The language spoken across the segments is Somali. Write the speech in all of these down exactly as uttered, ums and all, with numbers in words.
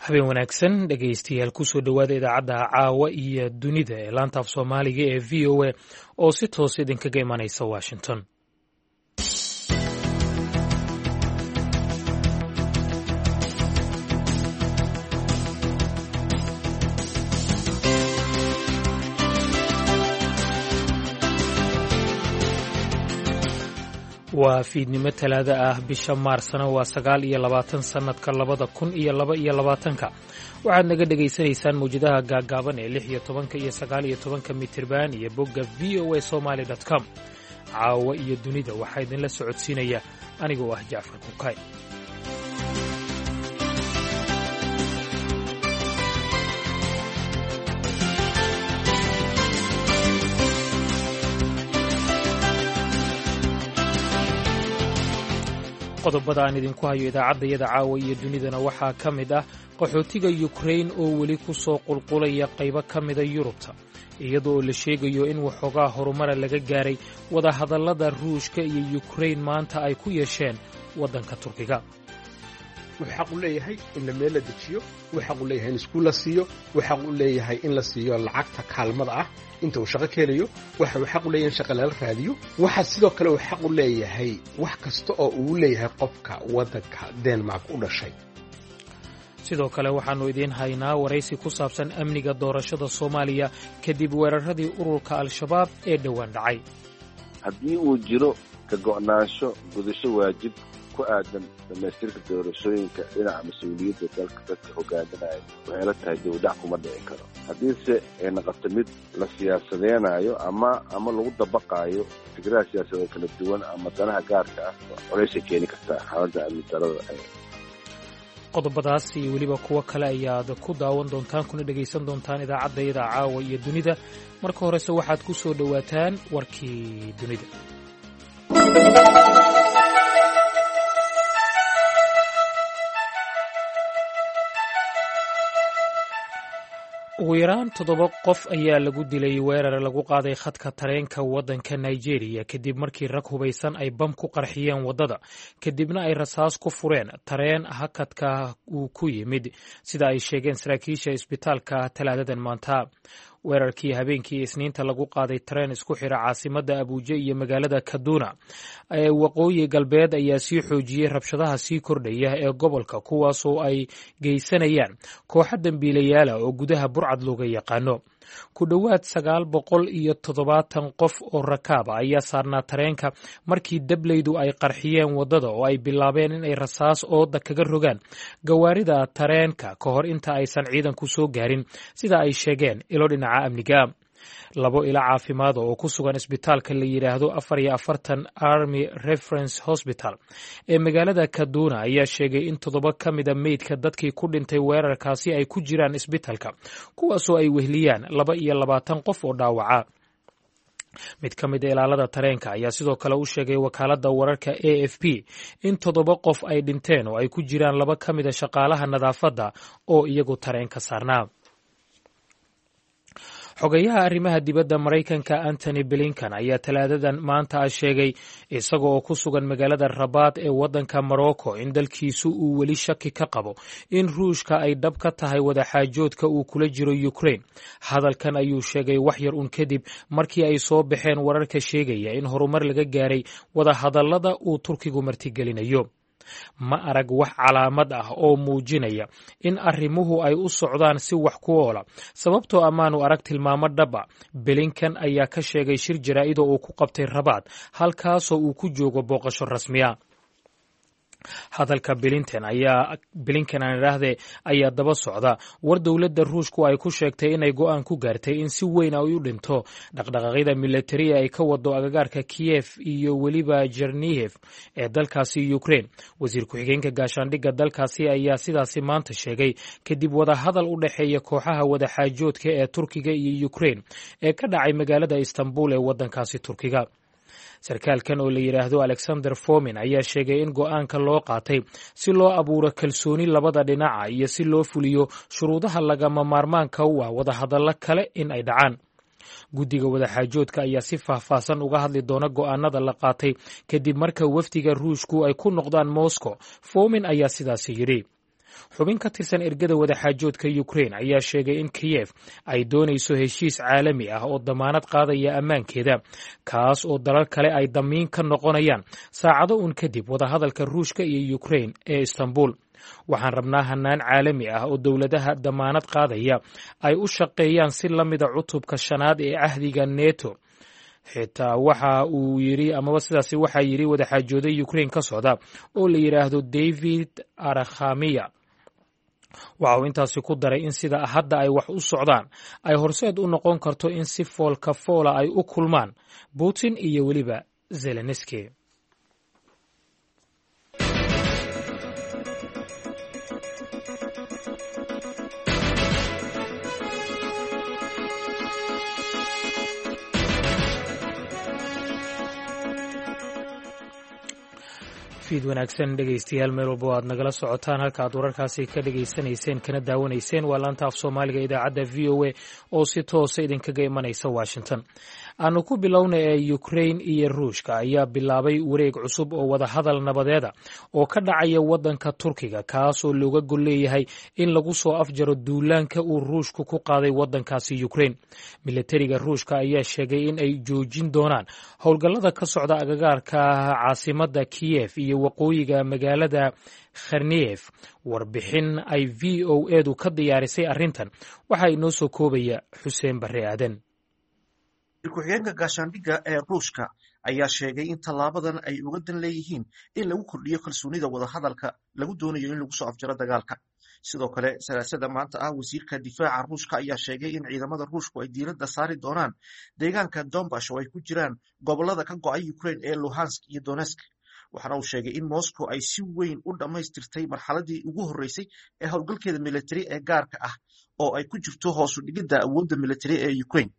Habeen wanaagsan, dhegaystayaal. Kusoo dhowaada idaacadda Caawa iyo Dunida ee laanta af Soomaaliga ee V O A oo si toos idinkaga imanaysa Washington. Waa fiidnimo Talaada ah, bisha Maarsna waa sagaal iyo labaatan sannadka labada kun iyo laba iyo labaatanka. Waxaad naga dhegaysanaysaan mawjadaha gaaggaaban ee lix iyo tobanka iyo sagaal iyo tobanka mitirban iyo bogga V O A Somaly com. Caawa iyo Dunida waxaa idinla socodsiinaya anigoo ah Jacfar Kukay. Qodobada aan idinku hayo idaacaddayada Caawa iyo Dunidana waxaa ka mid ah qaxootiga Yukrain oo weli ku soo qulqulaya qaybo ka mida Yurubta, iyadoo la sheegayo in waxoogaa horumara laga gaaray wadahadallada Ruushka iyo Yukrain maanta ay ku yeesheen waddanka Turkiga. Wuxuu xaq u leeyahay in la meel la dejiyo, wuxuu xaq u leeyahay in iskuul la siiyo, wuxuu xaq u leeyahay in la siiyo lacagta kaalmada ah inta uu shaqo ka helayo, waxa uu xaq u leeyahay in shaqa lala raadiyo. Waxa sidoo kale uu xaq u leeyahay wax kasta oo uu leeyahay qofka waddanka Denmark u dhashay. Sidoo kale waxaannu idiin haynaa waraysi ku saabsan amniga doorashada Soomaaliya kadib weeraradii ururka Al-Shabaab ee dhowaan dhacay. Haddii uu jiro ka go'naansho gudasho waajib ku aadan dhammaystirka doorashooyinka dhinaca mas-uuliyadda dalka dadka hogaaminaya, waxay la tahay dibudhac kuma dhici karo. Haddiise ay noqoto mid la siyaasadeenaayo ama ama lagu dabaqaayo fikradaha siyaasadeed kala duwan ama danaha gaarka ah, colaysay keeni kartaa xaaladda amni darada. Qodobadaas iyo weliba kuwo kale ayaad ku daawan doontaan kuna dhegaysan doontaan idaacaddayada Caawa iyo Dunida. Marka horese waxaad ku soo dhowaataan warkii dunida. Ugu yaraan toddoba qof ayaa lagu dilay weerar lagu qaaday khadka tareenka waddanka Nigeria, kadib markii rag hubaysan ay bam ku qarxiyeen waddada, kadibna ay rasaas ku fureen tareen hakadka uu ku yimid, sida ay sheegeen saraakiisha isbitaalka Talaadadan maanta. Weerarkii habeenkii Isniinta lagu qaaday tareen isku xira caasimadda Abuuja iyo magaalada Kaduna ee waqooyi galbeed ayaa sii xoojiyey rabshadaha sii kordhaya ee gobolka, kuwaasoo ay geysanayaan kooxo dembiilayaala oo gudaha burcad looga yaqaano. Ku dhowaad sagaal boqol iyo toddobaatan qof oo rakaaba ayaa saarnaa tareenka markii dableydu ay qarxiyeen waddada oo ay bilaabeen in ay rasaas ooda kaga rogaan gawaarida tareenka ka hor inta aysan ciidanku soo gaarin, sida ay sheegeen ilo dhinaca amniga. Labo ilo caafimaada oo ku sugan isbitaalka la yidhaahdo afar iyo afartan Army Reference Hospital ee magaalada Kaduna ayaa sheegay in toddoba ka mida meydka dadkii ku dhintay weerarkaasi ay ku jiraan isbitaalka, kuwaasoo ay wehliyaan laba iyo labaatan qof oo dhaawaca. Mid ka mid a ilaalada tareenka ayaa sidoo kale u sheegay wakaaladda wararka A F P in toddoba qof ay dhinteen oo ay ku jiraan laba ka mida shaqaalaha nadaafadda oo iyagu tareenka saarnaa. Xogayaha arrimaha dibadda Maraykanka Antony Blinkan ayaa Talaadadan maanta ah sheegay, isaga oo ku sugan magaalada Rabaad ee waddanka Morocco, in dalkiisu uu weli shaki ka qabo in Ruushka ay dhab ka tahay wadaxaajoodka uu kula jiro Ukraine. Hadalkan ayuu sheegay wax yar un kadib markii ay soo baxeen wararka sheegaya in horumar laga gaaray wadahadallada uu Turkigu martigelinayo. "Ma arag wax calaamad ah oo muujinaya in arrimuhu ay u socdaan si wax ku oola, sababtoo amaanu arag tilmaamo dhab a," Blinkan ayaa ka sheegay shir jaraa'ida uu ku qabtay Rabaad, halkaasoo uu ku joogo booqasho rasmiya. Hadalka Blinten ayaa, Blinken aan idhaahdee, ayaa daba socda war dowladda Ruushku ay ku sheegtay inay go'aan ku gaartay in si weyn ay u dhinto dhaqdhaqaaqyada militari ay ka wado agagaarka Kiyef iyo weliba Jernihev ee dalkaasi Ukraine. Wasiir ku-xigeenka gaashaandhigga dalkaasi ayaa sidaasi maanta sheegay kadib wadahadal u dhexeeya kooxaha wadaxaajoodka ee Turkiga iyo Ukraine ee ka dhacay magaalada Istanbul ee waddankaasi Turkiga. Sarkaalkan oo la yidhaahdo Alexander Fomin ayaa sheegay in go'aanka loo qaatay si loo abuuro kalsooni labada dhinaca iyo si loo fuliyo shuruudaha lagama maarmaanka u ah wadahadallo kale in ay dhacaan. Guddiga wadaxaajoodka ayaa si faahfaahsan uga hadli doona go'aanada la qaatay kadib marka wafdiga Ruushku ay ku noqdaan Moscow, Fomin ayaa sidaasi yidhi. Xubin ka tirsan ergada wadaxaajoodka Ukrain ayaa sheegay in Kiyef ay doonayso heshiis caalami ah oo damaanad qaadaya ammaankeeda, kaas oo dalal kale ay damiin ka noqonayaan, saacado uun kadib wadahadalka Ruushka iyo Ukrain ee Istanbul. Waxaan rabnaa hanaan caalami ah oo dowladaha damaanad qaadaya ay u shaqeeyaan si la mida cutubka shanaad ee cahdiga Neto. Xitaa waxa uu yiri, amaba sidaasi waxaa yidhi wadaxaajooday Ukrain ka socda oo la yidhaahdo David Arakhamiya. Waxa uu intaasi ku daray in sida hadda ay wax u socdaan ay horseed u noqon karto in si foolka foola ay u kulmaan Putin iyo weliba Zelenski. Fiid wanaagsan dhegaystayaal, meel walba o aad nagala socotaan. Halka aad wararkaasi ka dhegaysanayseen kana daawanayseen waa laanta af Soomaaliga idaacadda V O A oo si toosa idinkaga imanaysa Washington. Aanu ku bilowna ee Ukrain iyo Ruushka ayaa bilaabay wareeg cusub oo wadahadal nabadeeda oo ka dhacaya waddanka Turkiga, kaasoo looga gol leeyahay in lagu soo afjaro duulaanka uu Ruushku ku qaaday waddankaasi Ukrain. Milatariga Ruushka ayaa sheegay in ay joojin doonaan howlgallada ka socda agagaarka caasimadda Kiyef iyo waqooyiga magaalada Kharniyef. Warbixin ay V O edu ka diyaarisay arrintan waxaa inoo soo koobaya Xuseen Barre Aadan. Ku-xigeenka gaashaandhigga ee Ruushka ayaa sheegay in tallaabadan ay uga dan leeyihiin in lagu kordhiyo kalsoonida wadahadalka lagu doonayo in lagu soo afjaro dagaalka. Sidoo kale, Salaasada maanta ah, wasiirka difaaca Ruushka ayaa sheegay in ciidamada Ruushku ay diiradda saari doonaan deegaanka Donbash oo ay ku jiraan gobollada ka go'ay Ukraine ee Luhansk iyo Donetsk. Waxaana uu sheegay in Moscow ay si weyn u dhammaystirtay marxaladii ugu horreysay ee howlgalkeeda militari ee gaarka ah oo ay ku jirto hoos u dhigidda awoodda militari ee Ukraine.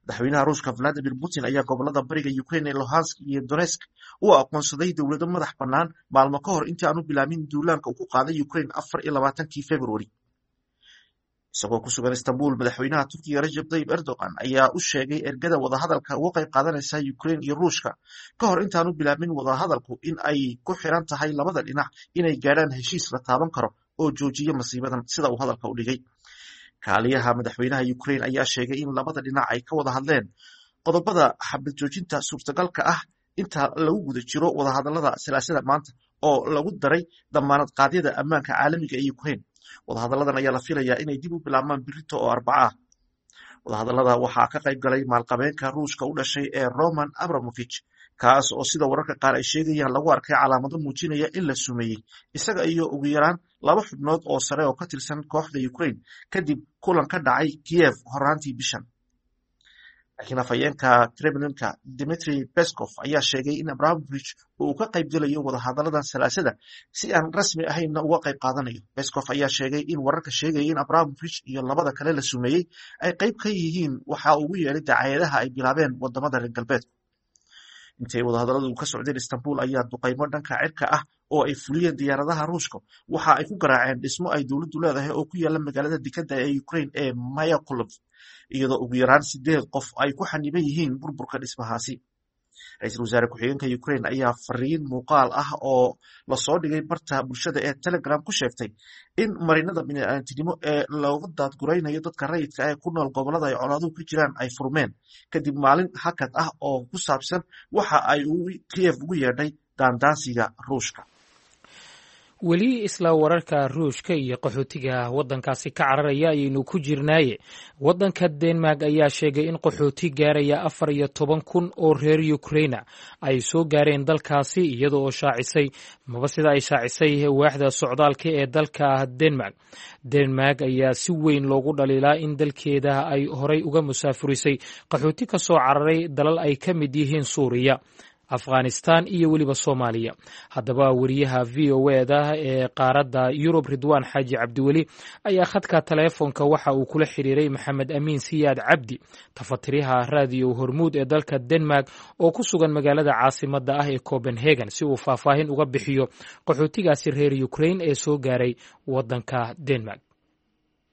Madaxweynaha Ruushka Vladimir Putin ayaa gobolada bariga Ukraine ee Luhansk iyo Donetsk u aqoonsaday dowlado madax bannaan maalmo ka hor intii aanu bilaabin duulaanka uu ku qaaday Ukraine afar iyo labaatankii Februari. Isagoo ku sugan Istanbul, madaxweynaha Turkiga Rajab Tayyip Erdogan ayaa u sheegay ergada wadahadalka uga qayb qaadanaysa Ukraine iyo Ruushka ka hor intaanu bilaabin wadahadalku in ay ku xiran tahay labada dhinac inay gaadhaan heshiis la taaban karo oo joojiya masiibadan, sida uu hadalka u dhigay. Kaaliyaha madaxweynaha Ukraine ayaa sheegay in labada dhinac ay ka wada hadleen qodobada xabad joojinta suurtagalka ah inta lagu guda jiro wadahadalada Salaasada maanta oo lagu daray damaanad qaadyada ammaanka caalamiga ee Ukraine. Wadahadalladan ayaa la filayaa inay dib u bilaabmaan birito oo Arbaca ah. Wadahadallada waxaa ka qayb galay maalqabeenka Ruushka u dhashay ee Roman Abramovich, kaas oo sida wararka qaar ay sheegayaan lagu arkay calaamado muujinaya in la sumeeyey isaga iyo ugu yaraan laba xubnood oo sare oo ka tirsan kooxda Ukraine kadib kulan ka dhacay Kiev horaantii bishan. Laakiin afhayeenka Kremlinka Dmitri Peskov ayaa sheegay in Abramovich uu ka qayb gelayo wadahadalladan Salaasada, si aan rasmi ahaynna uga qayb qaadanayo. Peskov ayaa sheegay in wararka sheegaya in Abramovich iyo labada kale la sumeeyey ay qayb ka yihiin waxa ugu yeedhay dacaayadaha ay bilaabeen wadamada reer galbeedku. Intay wadahadalladu ka socdeen Istanbul ayaa duqaymo dhanka cirka ah oo ay fuliyeen diyaaradaha Ruushka waxa ay ku garaaceen dhismo ay dowladdu leedahay oo ku yaala magaalada dekedda ee Ukraine ee Mayakulov, iyadoo ugu yaraan sideed qof ay ku xaniban yihiin burburka dhismahaasi. Ra-iisul wasaare ku-xigeenka Ukraine ayaa fariin muuqaal ah oo lasoo dhigay barta bulshada ee Telegram ku sheegtay in marinada bini'aadantinimo ee looga daadguraynayo dadka rayidka ah ee ku nool gobollada ay colaaduhu ka jiraan ay furmeen kadib maalin hakad ah oo ku saabsan waxa ay Kiev ugu yeedhay daandaansiga Ruushka. Weli isla wararka Ruushka iyo qaxootiga waddankaasi ka cararaya ayaynu ku jirnaaye, waddanka Denmark ayaa sheegay in qaxooti gaaraya afar iyo toban kun oo reer Ukraina ay soo gaareen dalkaasi, iyada oo shaacisay maba sida ay shaacisay waaxda socdaalka ee dalka Denmark. Denmark ayaa si weyn loogu dhaliilaa in dalkeeda ay horay uga musaafurisay qaxooti ka soo cararay dalal ay ka mid yihiin Suuriya, Afghanistan iyo weliba Soomaaliya. Haddaba weriyaha V O eda ee qaaradda Yurub Ridwaan Xaaji Cabdiweli ayaa khadka taleefonka waxa uu kula xiriiray Maxamed Amiin Siyaad Cabdi, tafatiriyaha Raadiyo Hormuud ee dalka Denmark oo ku sugan magaalada caasimadda ah ee Copenhagen, si uu faahfaahin uga bixiyo qaxootigaasi reer Ukraine ee soo gaaray waddanka Denmark.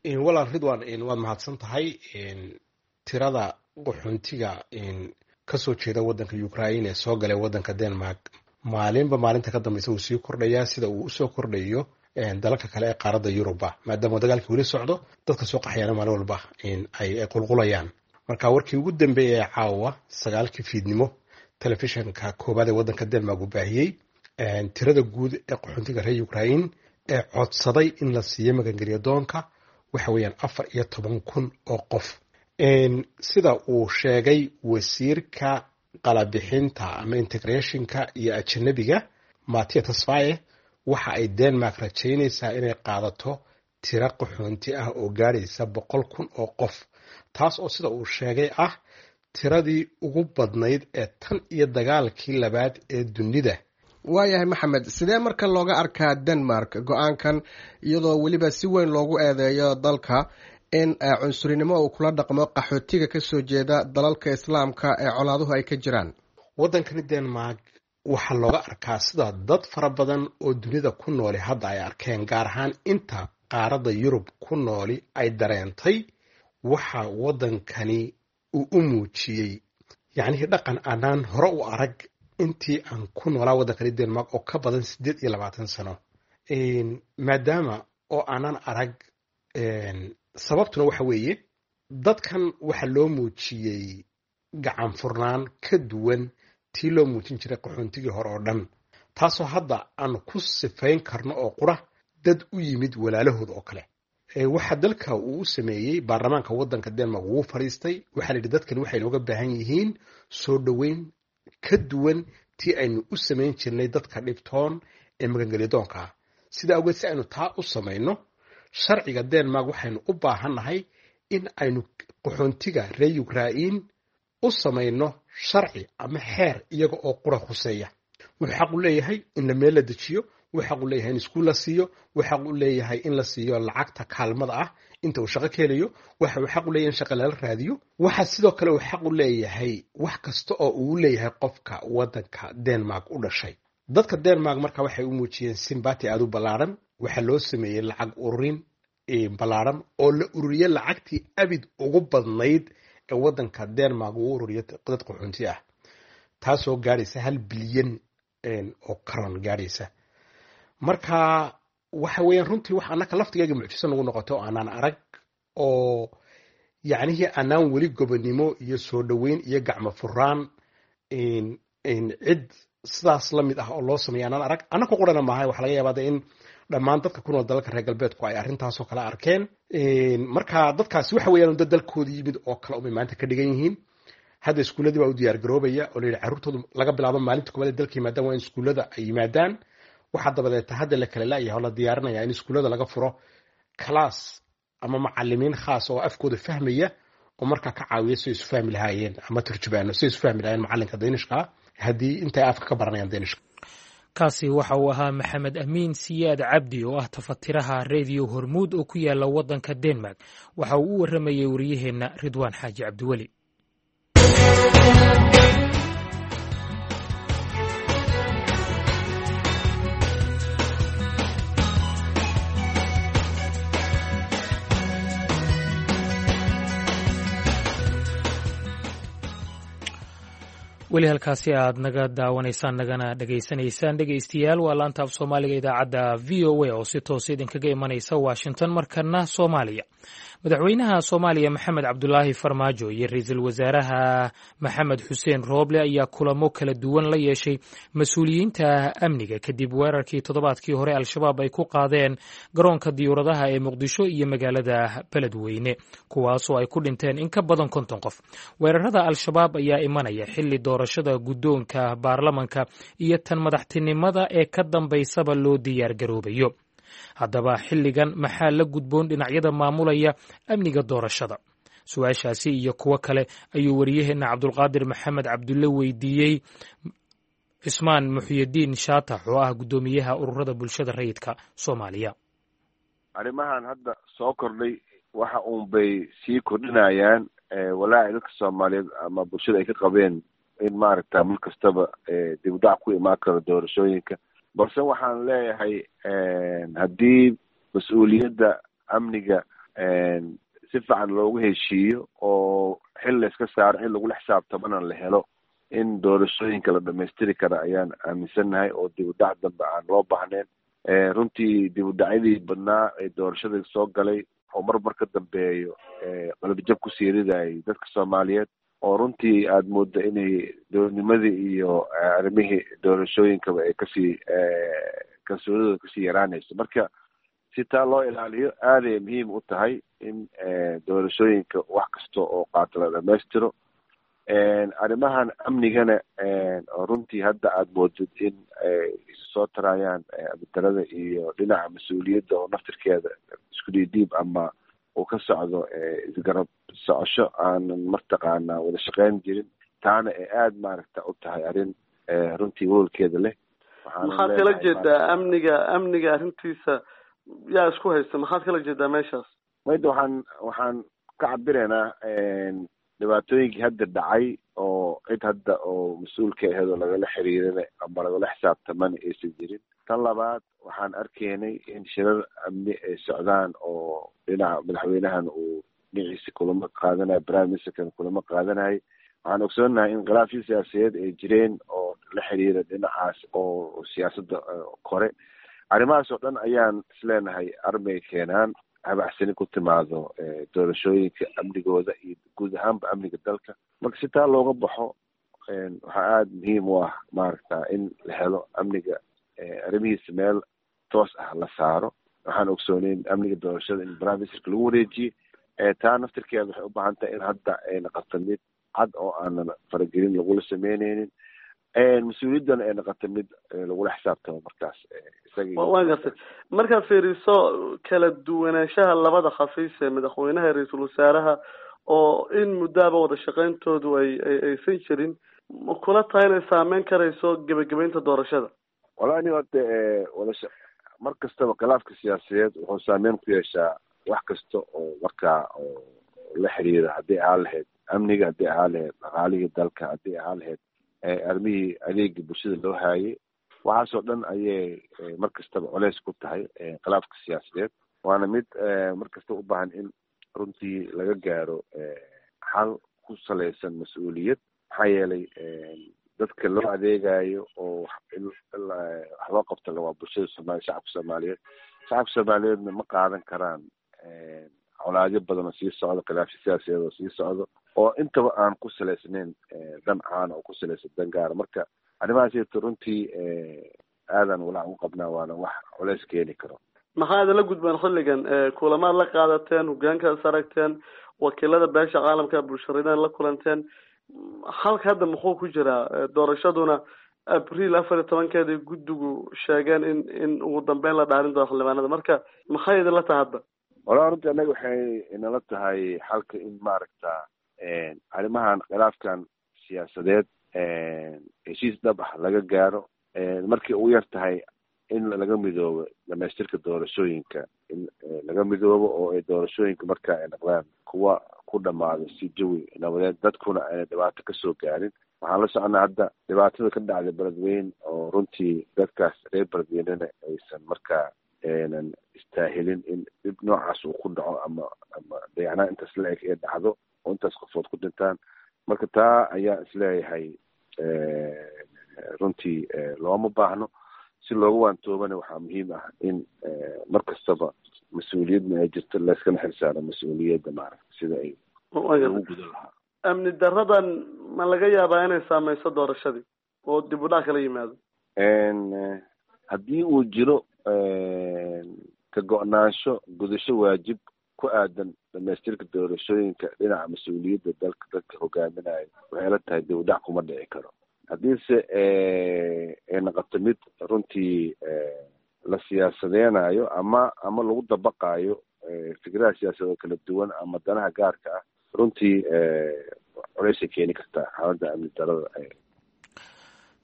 Walaal Ridwaan, waad mahadsan tahay. Tirada qaxoontiga kasoo jeeda waddanka Ukraine ee soo galay waddanka Denmark maalinba maalinta ka dambeysa uu sii kordhayaa. Sida uu usoo kordhayo Dalalka kale ee qaaradda Yuruba, maadaama dagaalkii weli socdo, dadka soo qaxayana maalin walba ay qulqulayaan. Marka warkii ugu dambeeyay ee caawa sagaalkii fiidnimo telefishinka koowaad ee waddanka Denmark uu baahiyey, tirada guud ee qaxoontiga reer Ukraine ee codsaday in la siiyo magangelya doonka waxa weeyaan afar iyo toban kun oo qof, sida uu sheegay wasiirka qalabixinta ama integrationka iyo ajanabiga Matia Tasfaye. Waxa ay Denmark rajaynaysaa inay qaadato tiro qaxoonti ah oo gaadhaysa boqol kun oo qof, taas oo sida uu sheegay ah tiradii ugu badnayd ee tan iyo dagaalkii labaad ee dunida. Waayahay Maxamed, sidee marka looga arkaa Denmark go-aankan, iyadoo weliba si weyn loogu eedeeyo dalka in cunsurinimo uu kula dhaqmo qaxootiga kasoo jeeda dalalka Islaamka ee colaaduhu ay ka jiraan? Waddankani Denmark waxaa looga arkaa sida dad fara badan oo dunida ku nooli hadda ay arkeen, gaar ahaan inta qaaradda Yurub ku nooli ay dareentay. Waxa waddankani uu u muujiyey yacnihii dhaqan aanaan hore u arag intii aan ku noolaa waddankani Denmark oo ka badan siddeed iyo labaatan sano, maadaama oo aanaan arag. Sababtuna waxa weeye, dadkan waxa loo muujiyey gacan furnaan ka duwan tii loo muujin jiray qaxoontigii hore oo dhan, taasoo hadda aan ku sifayn karno oo qura dad u yimid walaalahooda oo kale. Waxa dalka uu u sameeyey, baarlamaanka waddanka Denmark wuu fadhiistay, waxaa la yidhi dadkani waxay nooga baahan yihiin soo dhoweyn ka duwan tii aynu u samayn jirnay dadka dhibtoon ee magangelyadoonka ah. Sidaa awgeed, si aynu taa u samayno sharciga Denmark, waxaynu u baahannahay in aynu qaxoontiga reer Ukrain u samayno sharci ama xeer iyaga oo qura khuseeya. Wuxuu xaq u leeyahay in la meel la dejiyo, wuxuu xaq u leeyahay in iskuul la siiyo, wuxuu xaq u leeyahay in la siiyo lacagta kaalmada ah inta uu shaqo ka helayo, waxa uu xaq u leeyahay in shaqa lala raadiyo, waxa sidoo kale uu xaq u leeyahay wax kasta oo uu leeyahay qofka waddanka Denmark u dhashay. Dadka Denmark marka waxay u muujiyeen sympathy aada u ballaaran. Waxaa loo sameeyey lacag ururin ballaaran oo la ururiyey lacagtii abid ugu badnayd ee waddanka Denmark uu ururiyo dad qaxoonti ah, taasoo gaadhaysa hal bilyan oo karon gaadhaysa. Marka waxa weeyaan runtii wax annaka laftigayga mucjiso nagu noqoto oo aanaan arag, oo yacnihii aanaan weli gobonimo iyo soo dhoweyn iyo gacmo furaan cid sidaas la mid ah oo loo sameeya aanaan arag. Annaka qurana maahay, waxa laga yaabaa in dhammaan dadka ku nool dalalka reer galbeedku ay arrintaasoo kale arkeen. Marka dadkaasi waxa weeyaan dad dalkooda yimid oo kale umay maanta ka dhigan yihiin. Hadda iskuulladii baa u diyaar garoobaya oo la yidhi carruurtoodu laga bilaabo maalinta koowaad ee dalka yimaadaan waa in iskuullada ay yimaadaan. Waxaa dabadeeta hadda la kala la'yahay oo la diyaarinaya in iskuullada laga furo class ama macalimiin khaas oo afkooda fahmaya oo markaa ka caawiya si ay isu fahmi lahaayeen, ama turjubaano si ay isu fahmi lahaayeen macalinka Daynishka haddii intay afka ka baranayaan Daynishka. Kaasi waxa uu ahaa Maxamed Amiin Siyaad Cabdi oo ah tafatiraha Reediyo Hormuud oo ku yaala waddanka Denmark. Waxa uu u warramayey wariyaheenna Ridwaan Xaaji Cabdiweli. Weli halkaasi aad naga daawanaysaan nagana dhegaysanaysaan, dhegaystayaal, waa laanta af Soomaaliga idaacadda V O A oo si toosa idinkaga imanaysa Washington. Markana Soomaaliya. Madaxweynaha Soomaaliya Maxamed Cabdulaahi Farmaajo iyo ra-iisul wasaaraha Maxamed Xuseen Rooble ayaa kulamo kala duwan la yeeshay mas-uuliyiinta amniga kadib weerarkii toddobaadkii hore Al-Shabaab ay ku qaadeen garoonka diyuuradaha ee Muqdisho iyo magaalada Beledweyne, kuwaasoo ay ku dhinteen in ka badan konton qof. Weerarada Al-Shabaab ayaa imanaya xilli doorashada guddoonka baarlamanka iyo tan madaxtinimada ee ka dambaysaba loo diyaar garoobayo. Haddaba xilligan maxaa la gudboon dhinacyada maamulaya amniga doorashada? Su-aashaasi iyo kuwo kale ayuu wariyaheenna Cabdulqaadir Maxamed Cabdulle weydiiyey Cismaan Muxyidiin Shaatax oo ah guddoomiyaha ururada bulshada rayidka Soomaaliya. Arrimahan hadda soo kordhay waxa uun bay sii kordhinayaan walaaci dadka Soomaaliyeed ama bulshada ay ka qabeen in maaragta mar kastaba dib u dhac ku imaan karo doorashooyinka. Balse waxaan leeyahay, haddii mas-uuliyadda amniga si fiican loogu heshiiyo oo xil layska saaro, xil lagula xisaabtamana la helo, in doorashooyinka la dhamaystiri kara ayaan aaminsannahay oo dib u dhac dambe aan loo baahnayn. Runtii dib u dhacyadii badnaa ee doorashada soo galay oo mar mar ka dambeeyo qalabijab kusii ridayay dadka Soomaaliyeed, oo runtii aada moodda inay dowladnimadii iyo arrimihii doorashooyinkaba ay kasii kalsoonidooda kasii yaraanayso. Marka si taa loo ilaaliyo aaday muhiim u tahay in doorashooyinka wax kasta oo qaato la dhamaystiro. Arrimahan amnigana oo runtii hadda aada moodid in ay soo tarayaan abadarada iyo dhinaca mas-uuliyadda oo naftirkeeda isku dhiidhiib ama uu ka socdo isgarab socosho aanan mataqaanaa wada shaqeyn jirin, taana ay aada maaragta u tahay arrin runtii welwelkeeda leh. Maxaad kala jeedaa amniga? Amniga arrintiisa yaa isku haysta, maxaad kala jeedaa meeshaas? Mayda waxaan waxaan ka cabiraynaa dhibaatooyinkii hadda dhacay oo cid hadda oo mas-uulka aheed oo lagala xiriirana ama lagala xisaabtamana aysan jirin. Tan labaad, waxaan arkaynay in shirar amni ay socdaan oo dhinaca madaxweynahan uu dhinaciisa kulamo qaadanayo, prime ministerkan kulamo qaadanayo. Waxaan ogsoonahay in khilaafyo siyaasadeed ay jireen oo la xiriira dhinacaas oo siyaasadda kore. Arrimahaas oo dhan ayaan isleenahay armay keenaan habacsani ku timaado doorashooyinka amnigooda iyo guud ahaanba amniga dalka. Marka si taa looga baxo, waxaa aada muhiim u ah maaragta in la helo amniga arrimihiisa meel toos ah la saaro. Waxaan ogsooneyn amniga doorashada in prime ministerka lagu wareejiyey. Taa naftirkeeda waxay u baahan tahay in hadda ay noqoto mid cad oo aanan faragelin lagula sameyneynin, mas-uuliyaddana ay noqoto mid lagula xisaabtamo markaas. Waan gartay. Markaad fiiriso kala duwanaanshaha labada xafiis ee madaxweynaha iyo ra-iisul wasaaraha oo in muddaaba wada shaqeyntoodu ay aysan jirin, ma kula tahay inay saameyn karayso gebagabeynta doorashada? Wallahi ni horta wada mar kastaba khilaafka siyaasadeed wuxuu saameyn ku yeeshaa wax kasta oo markaa oo la xiriira, haddii ahaan lahayd amniga, haddii ahaan lahayd dhaqaalihii dalka, haddii ahaan lahayd arrimihii adeega bulshada loo haayay. Waxaasoo dhan ayay mar kastaba culeys ku tahay khilaafka siyaasadeed, waana mid mar kasta u baahan in runtii laga gaaro xal ku salaysan mas-uuliyad. Maxaa yeelay dadka loo adeegayo oo wax loo qabta waa bulshada Soomaaliya, shacabka Soomaaliyeed. Shacabka Soomaaliyeedna ma qaadan karaan colaadyo badan oo sii socdo, khilaafyo siyaasadeed oo sii socdo oo intaba aan ku salaysnayn dan caana oo ku salaysan dan gaara. Marka arrimahaasito runtii aadan walaac ugu qabnaa, waana wax culeys keeni karo. Maxaa idinla gudbaan xilligan? Kulamaad la qaadateen, hogaankaas aragteen, wakiilada beesha caalamka, bulsharidan la kulanteen, halka hadda muxuu ku jiraa? Doorashaduna Abriil afar iyo tobankeeday guddigu sheegeen in in ugu dambeyn la dhaarin doono xildhibaanada. Marka maxay idinla tahay hadda? Walaa runtii annaga waxay inala tahay xalka in maaragta arrimahan khilaafkan siyaasadeed heshiis dhab ah laga gaaro, markii ugu yar tahay in laga midoobo dhamaystirka doorashooyinka, in laga midoobo oo ay doorashooyinka marka ay noqdaan kuwa ku dhamaado si jawi nabadeed, dadkuna ayna dhibaato kasoo gaarin. Waxaan la soconaa hadda dhibaatada ka dhacday Beledweyne oo runtii dadkaas reer Beledweynena aysan markaa aynan istaahilin in dhib noocaas uu ku dhaco ama ama dayacnaan intaas la eg ee dhacdo oo intaas qofood ku dhintaan. Marka taa ayaa isleeyahay runtii looma baahno. Si loogu waantoobana waxaa muhiim ah in mar kastaba mas-uuliyadna ay jirto, layskana xilsaaro mas-uuliyadda maaragta sida ay lagu gudan lahaa. Amni daradan ma laga yaabaa inay saameyso doorashadii oo dib u dhac kala yimaado? Haddii uu jiro ka go-naansho gudasho waajib ku aadan dhamaystirka doorashooyinka dhinaca mas-uuliyadda dalka dadka hogaaminayo, waxay la tahay dib u dhac kuma dhici karo. Haddiise ay noqoto mid runtii la siyaasadeynayo ama ama lagu dabaqaayo fikradaha siyaasadeed oo kala duwan ama danaha gaarka ah, runtii culeysay keeni kartaa xaaladda amni darada.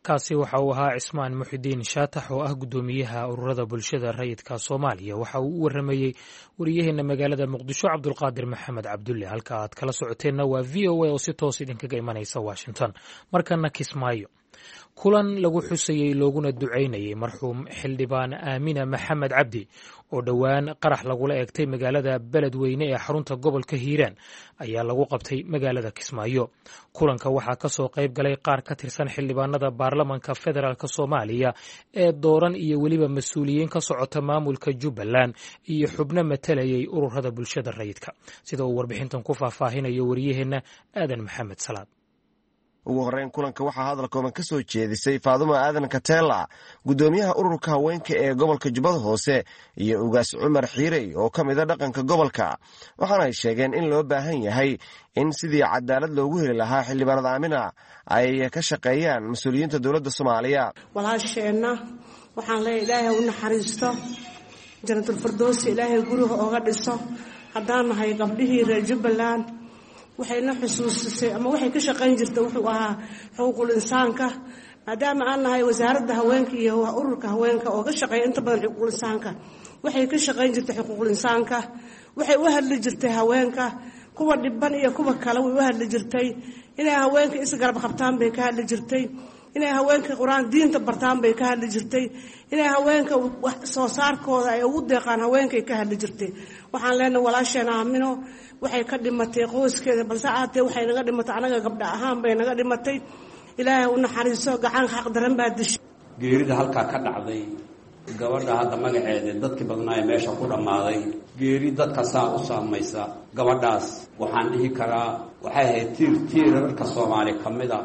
Kaasi waxa uu ahaa Cismaan Muxidiin Shaatax oo ah guddoomiyaha ururada bulshada rayidka Soomaaliya. Waxa uu u waramayey wariyaheena magaalada Muqdisho, Cabdulqaadir Maxamed Cabdulle. Halka aad kala socoteenna waa V O A oo si toos idinkaga imanaysa Washington. Markana Kismaayo. Kulan lagu xusayey looguna ducaynayey marxuum xildhibaan Aamina Maxamed Cabdi oo dhowaan qarax lagula eegtay magaalada Beledweyne ee xarunta gobolka Hiiraan ayaa lagu qabtay magaalada Kismaayo. Kulanka waxaa ka soo qayb galay qaar ka tirsan xildhibaanada baarlamanka federaalk Soomaaliya ee dooran iyo weliba mas-uuliyiin ka socota maamulka Jubbaland iyo xubno matalayay ururada bulshada rayidka, sida uu warbixintan ku faahfaahinayo wariyaheenna Aadan Maxamed Salaad. Ugu horreyn kulanka waxaa hadal kooban ka soo jeedisay Faadumo Aadan Kateela, guddoomiyaha ururka haweenka ee gobolka Jubbada Hoose, iyo Ugaas Cumar Xiirey oo ka mida dhaqanka gobolka, waxaana ay sheegeen in loo baahan yahay in sidii cadaalad loogu heli lahaa xildhibaanada Aamina ay ka shaqeeyaan mas-uuliyiinta dowladda Soomaaliya. Walaasheenna waxaan leeyahay Ilaahay u naxariisto, janatulfirdowsi Ilaahay guriga ooga dhiso. Haddaan nahay gabdhihii reer Jubbaland, waxayna xusuusisay ama waxay ka shaqayn jirta wuxuu ahaa xuquuqul insaanka, maadaama aan nahay wasaaradda haweenka iyo ururka haweenka oo ka shaqeeya inta badan xuquuqul insaanka. Waxay ka shaqayn jirtay xuquuqul insaanka, waxay u hadli jirtay haweenka, kuwa dhiban iyo kuwa kale way u hadli jirtay. Inay haweenka isgarab qabtaan bay ka hadli jirtay, inay haweenka qur-aan diinta bartaan bay ka hadli jirtay, inay haweenka wax soo saarkooda ay ugu deeqaan haweenkay ka hadli jirtay. Waxaan leenahay walaasheen Aamino waxay ka dhimatay qoyskeeda, balse aatee waxay naga dhimatay anaga gabdha ahaan bay naga dhimatay. Ilaahay u naxariiso, gacan xaq daran baa dishay. Geerida halkaa ka dhacday gabadha hadda magaceeda dadkii badnaa ee meesha ku dhammaaday, geeri dadka saa u saamaysa gabadhaas, waxaan dhihi karaa waxay ahayd tiir tiirarka Soomaali ka mida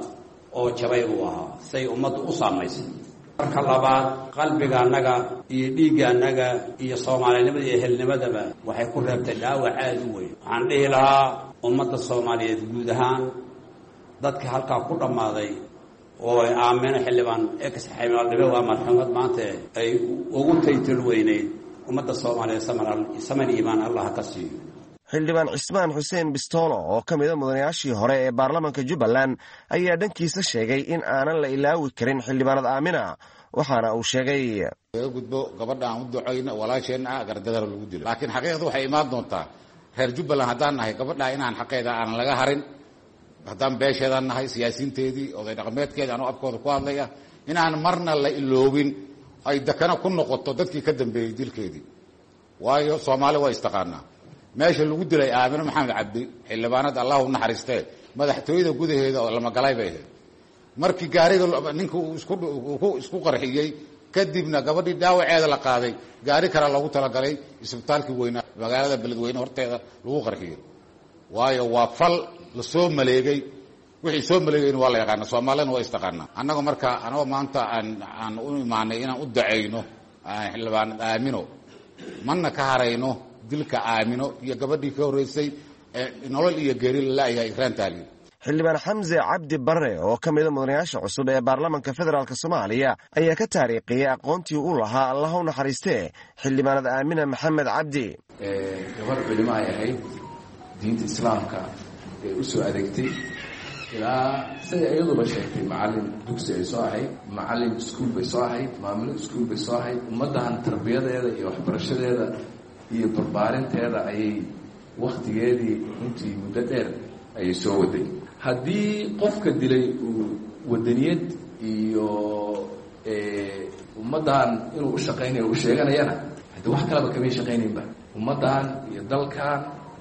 oo jabay buu ahaa say ummaddu u saamaysay. Marka labaad, qalbiga annaga iyo dhiigga annaga iyo soomaalinimada iyo ehelnimadaba waxay ku reebtay dhaawac aada u weyn. Waxaan dhihi lahaa ummadda Soomaaliyeed guud ahaan dadka halkaa ku dhammaaday oo ay Aamino xildhibaan ex xildhibe waa marxuumad maanta ay ugu taytal weyneyd, ummadda Soomaaliyeed samar samar iimaan Allah ka siiyo. Xildhibaan Cismaan Xuseen Bistoolo oo ka mida mudanayaashii hore ee baarlamanka Jubbaland ayaa dhankiisa sheegay in aanan la ilaawi karin xildhibaanada Aamina, waxaana uu sheegay: Laga gudbo gabadha aan u ducayno walaasheenna ah gardadana lagu dilo, laakiin xaqiiqda waxay imaan doontaa reer Jubbaland haddaan nahay gabadha inaan xaqeeda aanan laga harin, haddaan beesheedaan nahay, siyaasiinteedii, oday dhaqameedkeeda, anoo afkooda ku hadlaya, inaan marna la iloobin, ay dakana ku noqoto dadkii ka dambeeyey dilkeedii, waayo Soomaali waa istaqaanaa. Meesha lagu dilay Aamino Maxamed Cabdi xildhibaanada, Allah u naxariistee, madaxtooyada gudaheeda oo lamagalay bay ahayd. Markii gaariga ninka uu isku isku qarxiyey kadibna gabadhii dhaawaceeda la qaaday, gaari kale loogu talagalay isbitaalkii weynaa magaalada Beledweyne horteeda lagu qarxiyey, waayo waa fal la soo maleegay. Wixii soo maleegayna waa la yaqaana, Soomaalina waa istaqaanaa. Annaga marka anagoo maanta aan aan u imaanay inaan u dacayno xildhibaanad Aamino, mana ka harayno dilka Aamino iyo gabadhii ka horreysay ee nolol iyo geeri lalaayahay Ikraan Taaliil. Xildhibaan Xamse Cabdi Barre oo ka mida mudanayaasha cusub ee baarlamanka federaalk Soomaaliya ayaa ka taariikhiyey aqoontii uu lahaa Allah u naxariistee xildhibaanada Aamina Maxamed Cabdi. Gabar culimo ay ahayd, diinta islaamka ee u soo adeegtay, ilaa siday iyaduba sheegtay macallin dugsi ay soo ahayd, macallin iskuul bay soo ahayd, maamulo iskuul bay soo ahayd. Ummaddahan tarbiyadeeda iyo waxbarashadeeda iyo barbaarinteeda ayay wakhtigeedii runtii muddo dheer ayay soo waday. Haddii qofka dilay uu wadaniyad iyo ummaddan inuu u shaqaynayo u sheeganayana, haddii wax kaleba kamay shaqaynaynba, ummaddan iyo dalkan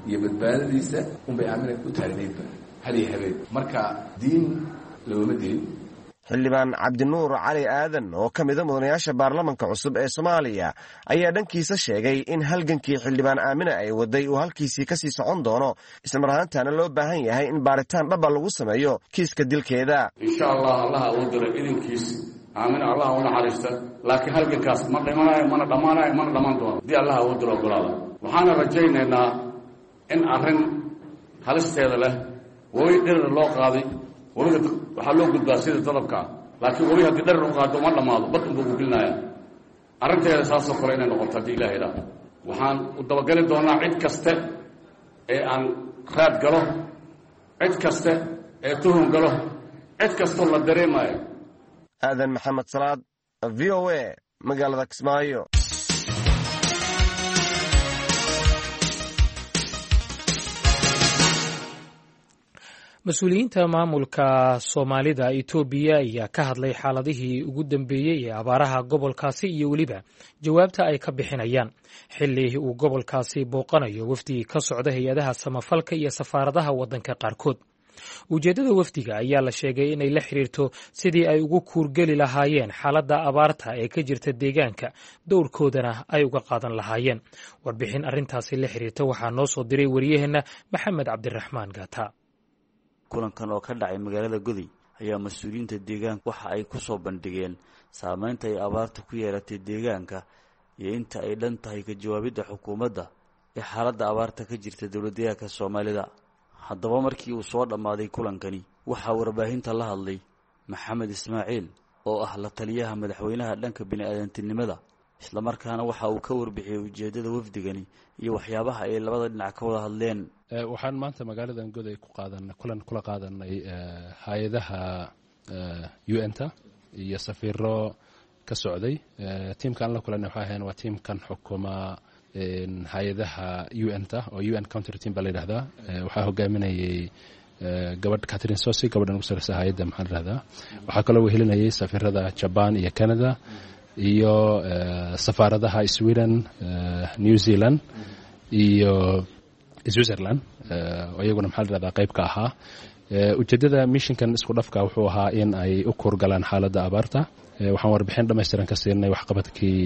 iyo badbaadadiisa unbay Aamina u taagnaydba had iyo habeen. Marka diin looma dilin. Xildhibaan Cabdinuur Cali Aadan oo ka mida mudanayaasha baarlamanka cusub ee Soomaaliya ayaa dhankiisa sheegay in halgankii xildhibaan Aamina ay waday uu halkiisii kasii socon doono, islamar ahaantaana loo baahan yahay in baaritaan dhaba lagu sameeyo kiiska dilkeeda. Insha Allah, Allaha uu dilo idinkiis, Aamina Allah u naxariista, laakiin halgankaas ma dhimanayo, mana dhammaanayo, mana dhammaan doono haddii Allaha uu dilo ogolaada. Waxaana rajaynaynaa in arrin halisteeda leh webi dhirir loo qaaday, webiga waxaa loo gudbaa sida dadabka ah, laakiin webi haddii dharir u qaado ma dhammaado, bad unbuu ku gelinaya. Arrinteeda saasoo kale inay noqoto haddii Ilaah idhaah. Waxaan u dabagali doonaa cid kaste ee aan raad galo, cid kaste ee tuhun galo, cid kastoo la dareemayo. Aadan Maxamed Salaad, V O A, magaalada Kismaayo. Mas-uuliyiinta maamulka Soomaalida Itoobiya ayaa ka hadlay xaaladihii ugu dambeeyey ee abaaraha gobolkaasi iyo weliba jawaabta ay ka bixinayaan xilli uu gobolkaasi booqanayo wafdi ka socda hay-adaha samafalka iyo safaaradaha waddanka qaarkood. Ujeeddada wafdiga ayaa la sheegay inay la xiriirto sidii ay ugu kuurgeli lahaayeen xaaladda abaarta ee ka jirta deegaanka, dowrkoodana ay uga qaadan lahaayeen. Warbixin arrintaasi la xiriirta waxaa noo soo diray wariyaheenna Maxamed Cabdiraxmaan Gaata. Kulankan oo ka dhacay magaalada Goday ayaa mas-uuliyiinta deegaanka waxa ay ku soo bandhigeen saameynta ay abaarta ku yeelatay deegaanka iyo inta ay dhan tahay ka jawaabidda xukuumadda ee xaaladda abaarta ka jirta dowlad deegaanka Soomaalida. Haddaba markii uu soo dhammaaday kulankani, waxaa warbaahinta la hadlay Maxamed Ismaaciil oo ah la taliyaha madaxweynaha dhanka bini-aadantinimada, islamarkaana waxa uu ka warbixiyey ujeeddada wafdigani iyo waxyaabaha ay labada dhinac ka wada hadleen. Waxaan maanta magaaladan Goday ku qaadan kulan kula qaadanay hay-adaha U N-ta iyo safiiro ka socday. Tiimka aan la kulanay waxay ahayn waa tiimkan xukuma hay-adaha U N-ta oo U N country team baa la yidhahdaa. Waxaa hogaaminayay gabadh Catherine Sosi, gabadhan ugu sarreysa hay-adda maxaa la yidhahdaa. Waxaa kaloo wehelinayay safiirada Jaban iyo Canada iyo safaaradaha Sweden, New Zealand iyo Switzerland oo iyaguna maxaa la yidhahdaa qayb ka ahaa. Ujeeddada mishinkan isku dhafka wuxuu ahaa in ay u kuurgalaan xaaladda abaarta. Waxaan warbixin dhammaystiran ka siinay waxqabadkii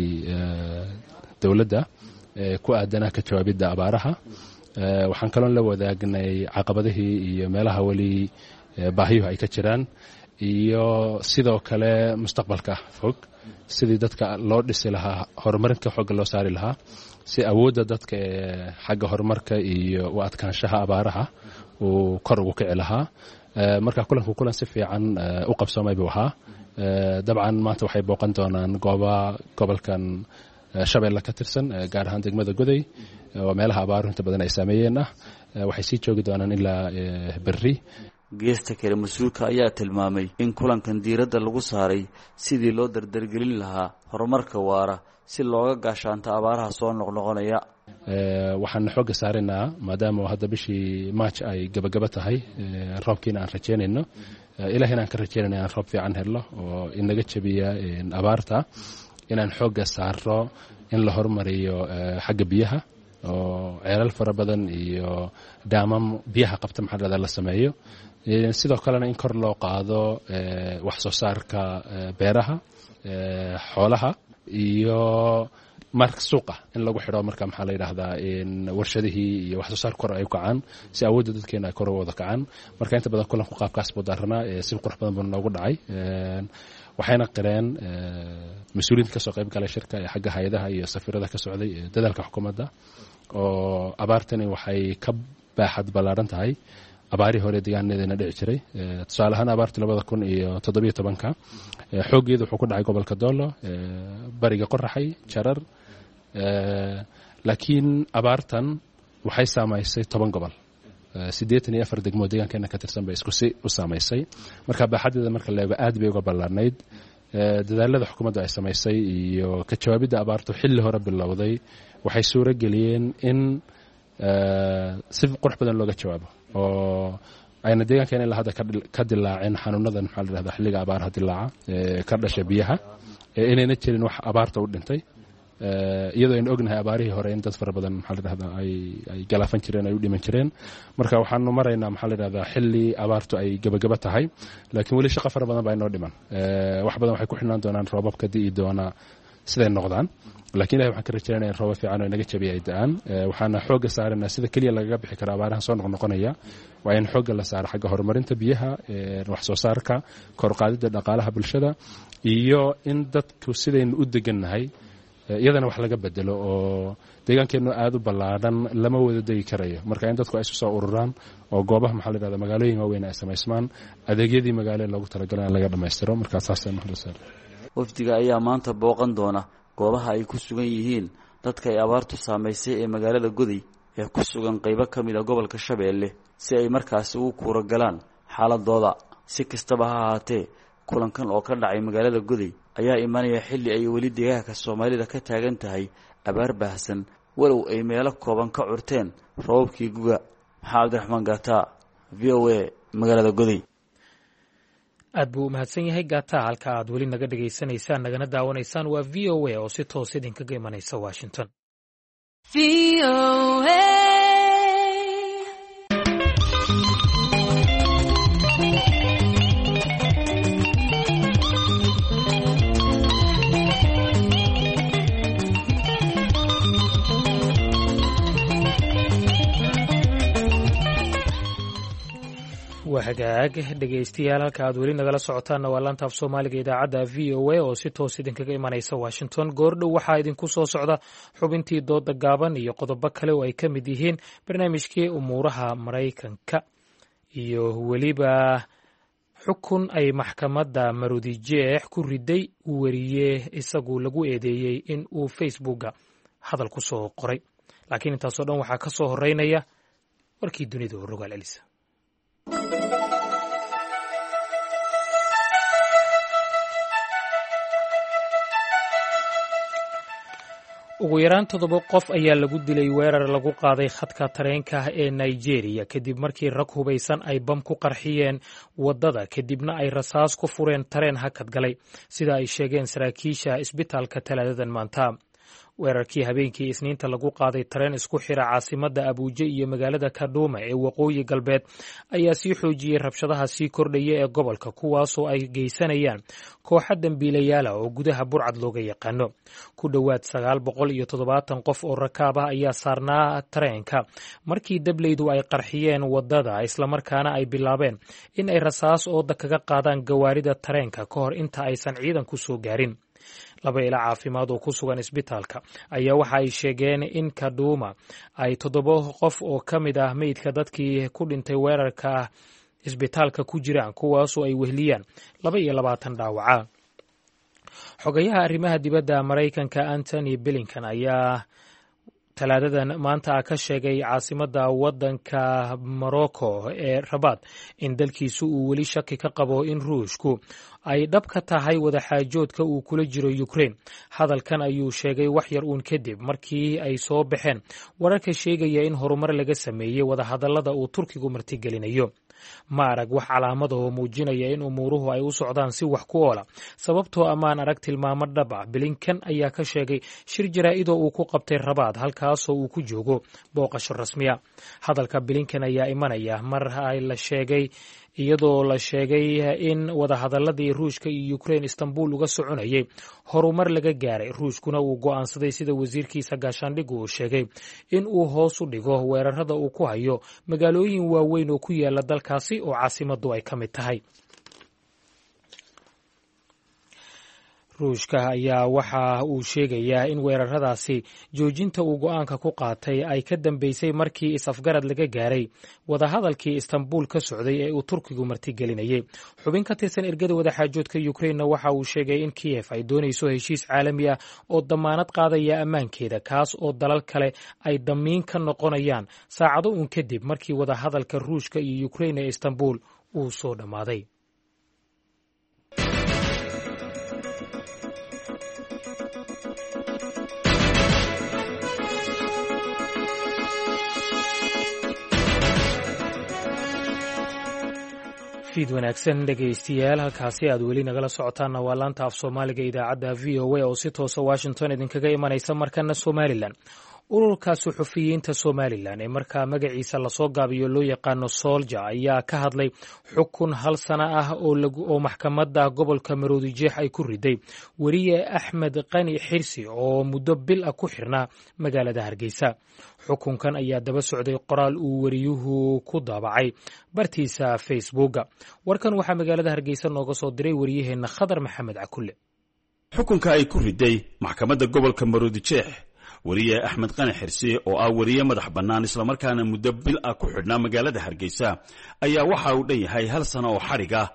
dowladda ku aadanaa ka jawaabidda abaaraha. Waxaan kaloon la wadaagnay caqabadihii iyo meelaha weli baahiyuhu ay ka jiraan, iyo sidoo kale mustaqbalka fog sidii dadka loo dhisi lahaa, horumarinka xooga loo saari lahaa, si awoodda dadka ee xagga horumarka iyo u adkaanshaha abaaraha uu kor ugu kici lahaa. Marka kulanku kulan si fiican u qabsoomay buu ahaa. Dabcan maanta waxay booqan doonaan gooba gobolkan Shabeelle ka tirsan, gaar ahaan degmada Goday oo meelaha abaaruhu inta badan ay saameeyeen ah. Waxay sii joogi doonaan ilaa berri. Geesta kale, mas-uulka ayaa tilmaamay in kulankan diiradda lagu saaray sidii loo dardargelin lahaa horumarka waara si looga gaashaanto abaaraha soo noqnoqonaya. Waxaan xoogga saaraynaa maadaama hadda bishii March ay gabagaba tahay, roobkiina aan rajeynayno, ilaahina aan ka rajeynayno inaan roob fiican helno oo inaga jabiya abaarta, inaan xoogga saaro in la horumariyo xagga biyaha oo ceelal fara badan iyo daamam biyaha qabta maxaa la dhahdaa la sameeyo. Sidoo kalena in kor loo qaado wax soo saarka beeraha, xoolaha iyo marka suuqa in lagu xidho, marka maxaa la yidhaahdaa warshadihii iyo wax soo saar kor ay u kacaan si awoodda dadkeena ay kor uga wada kacaan. Marka inta badan kulanku qaabkaas buu daaranaa, si qurux badan buu noogu dhacay. Waxayna qireen mas-uuliyiinta kasoo qayb galay shirka ee xagga hay-adaha iyo safiirada ka socday dadaalka xukuumadda, oo abaartani waxay ka baaxad ballaaran tahay abaarihii hore deegaanadeena dhici jiray. Tusaale ahaan abaartii labada kun iyo toddobiyo tobanka xooggeedu wuxuu ku dhacay gobolka Doolo, bariga Qoraxay, Jarar, laakiin abaartan waxay saamaysay toban gobol, siddeetan iyo afar degmo deegaankeena ka tirsan bay isku si u saamaysay. Marka baaxaddeeda marka la eego aad bay uga ballaarnayd. Dadaalada xukuumaddu ay samaysay iyo ka jawaabidda abaartu xilli hore bilowday waxay suuro geliyeen in si qurux badan looga jawaabo oo ayna deegaankeena ilaa hadda ka dilaaceen xanuunadan maxaa la yidhahdaa xilliga abaaraha dilaaca ee ka dhasha biyaha, inayna jirin wax abaarta u dhintay, iyadoo aynu ognahay abaarihii hore in dad fara badan maxaa la yidhahdaa ay ay galaafan jireen, ay u dhiman jireen. Marka waxaanu maraynaa maxaa la yidhahdaa xilli abaartu ay gabagaba tahay, laakiin weli shaqo fara badan baa inoo dhiman. Wax badan waxay ku xidhnaan doonaan roobabka di'i doona siday noqdaan, lakiin ilahi waxaan ka rajaynaya in roobab fiican oo inaga jabiya ay da'aan. Waxaana xoogga saaraynaa sida keliya lagaga bixi kara abaarahan soo noqnoqonaya waa in xoogga la saaro xagga horumarinta biyaha, wax soo saarka, kor qaadidda dhaqaalaha bulshada, iyo in dadku sidaynu u degannahay iyadana wax laga bedelo oo deegaankeennu aada u ballaadhan lama wada degi karayo. Marka in dadku ay isu soo ururaan oo goobaha maxaa la yidhahdaa magaalooyin waaweyn ay samaysmaan, adeegyadii magaalo loogu talagalay in laga dhammaystiro. Marka saas Wafdiga ayaa maanta booqan doona goobaha ay ku sugan yihiin dadka ay abaartu saamaysay ee magaalada Goday ee ku sugan qaybo ka mid a gobolka Shabeelle si ay markaasi ugu kuura galaan xaaladooda. Si kastaba ha ahaatee, kulankan oo ka dhacay magaalada Goday ayaa imanaya xilli ay weli deegaanka Soomaalida ka taagan tahay abaar baahsan, walow ay meelo kooban ka curteen roobabkii guga. Maxaa Cabdiraxmaan Gaata, V O A, magaalada Goday. Aad buu u mahadsan yahay Gata. Halka aad weli naga dhegaysanaysaan nagana daawanaysaan waa V O A oo si toos idinkaga imanaysa Washington. Waa hagaag dhegaystayaal, halka aad weli nagala socotaanna waa laanta af Soomaaliga idaacadda V O A oo si toos idinkaga imanaysa Washington. Goordhow waxaa idinku soo socda xubintii dooda gaaban iyo qodobo kale oo ay ka mid yihiin barnaamijkii umuuraha Maraykanka iyo weliba xukun ay maxkamadda Maroodijeex ku riday weriye isagu lagu eedeeyey in uu Facebooka hadal ku soo qoray. Laakiin intaasoo dhan waxaa ka soo horeynaya warkii dunida oo rogaal elisa. Ugu yaraan toddoba qof ayaa lagu dilay weerar lagu qaaday khadka tareenka ee Nigeria kadib markii rag hubaysan ay bam ku qarxiyeen waddada, kadibna ay rasaas ku fureen tareen hakad galay, sida ay sheegeen saraakiisha isbitaalka Talaadadan maanta. Weerarkii habeenkii Isniinta lagu qaaday tareen isku xira caasimadda Abuuje iyo magaalada Kadhuuma ee waqooyi galbeed ayaa sii xoojiyey rabshadaha sii kordhaya ee gobolka, kuwaasoo ay geysanayaan kooxa dembiilayaala oo gudaha burcad looga yaqaano. Ku dhowaad sagaal boqol iyo toddobaatan qof oo rakaab ah ayaa saarnaa tareenka markii dableydu ay qarxiyeen waddada, islamarkaana ay bilaabeen in ay rasaas ooda kaga qaadaan gawaarida tareenka ka hor inta aysan ciidanku soo gaarin. Laba ila caafimaad oo ku sugan isbitaalka ayaa waxa ay sheegeen in Kadhuuma ay toddoba qof oo ka mid ah meydka dadkii ku dhintay weerarka isbitaalka ku jiraan, kuwaasoo ay wehliyaan laba iyo labaatan dhaawaca. Xogayaha arrimaha dibadda Maraykanka Antony Blinken ayaa Talaadadan maanta ka sheegay caasimadda waddanka Morocco ee Rabaad in dalkiisu uu weli shaki ka qabo in Ruushku ay dhab ka tahay wadaxaajoodka uu kula jiro Ukraine. Hadalkan ayuu sheegay wax yar uun kadib markii ay soo baxeen wararka sheegaya in horumar laga sameeyey wadahadallada uu Turkigu martigelinayo. Ma arag wax calaamada oo muujinaya in umuuruhu ay u socdaan si wax ku oola, sababtoo ammaan arag tilmaamo dhab ah, Blinken ayaa ka sheegay shir jaraa'idoo uu ku qabtay Rabaad, halkaasoo uu ku joogo booqasho rasmiya. Hadalka Blinken ayaa imanaya mar ay la sheegay iyadoo la sheegay in wadahadaladii Ruushka iyo Ukraine Istanbul uga soconayay horumar laga gaaray, Ruushkuna uu go'aansaday, sida wasiirkiisa gaashaandhiggu uu sheegay, in uu hoos u dhigo weerarada uu ku hayo magaalooyin waaweyn oo ku yaala dalkaasi oo caasimadu ay ka mid tahay. Ruushka ayaa waxa uu sheegayaa in weeraradaasi joojinta uu go'aanka ku qaatay ay ka dambeysay markii is-afgarad laga gaaray wadahadalkii Istanbul ka socday ee uu Turkigu martigelinayay. Xubin ka tirsan ergada wadaxaajoodka Ukrainena waxa uu sheegay in Kiyef ay doonayso heshiis caalami ah oo damaanad qaadaya ammaankeeda, kaas oo dalal kale ay damiin ka noqonayaan, saacado uun kadib markii wadahadalka Ruushka iyo Ukrain ee Istanbul uu soo dhammaaday. Fiid wanaagsan dhegaystayaal, halkaasi aad weli nagala socotaanna waa laanta af Soomaaliga idaacadda V O A oo si toosa Washington idinkaga imanaysa. Markana Somalilan. Ururka suxufiyiinta Somalilan ee markaa magaciisa lasoo gaabiyo loo yaqaano Soolja ayaa ka hadlay xukun hal sano ah oo maxkamadda gobolka Maroodijeex ay ku riday weriye Axmed Qani Xirsi oo muddo bil ah ku xirnaa magaalada Hargeysa. Xukunkan ayaa daba socday qoraal uu weriyuhu ku daabacay bartiisa Facebooka. Warkan waxaa magaalada Hargeysa nooga soo diray wariyaheenna Khadar Maxamed Cakulle. Xukunka ay ku riday maxkamadda gobolka Maroodijeex weriye Axmed Qani Xirsi oo ah weriye madax bannaan islamarkaana muddo bil ah ku xidhnaa magaalada Hargeysa ayaa waxa uu dhan yahay hal sano oo xadhig ah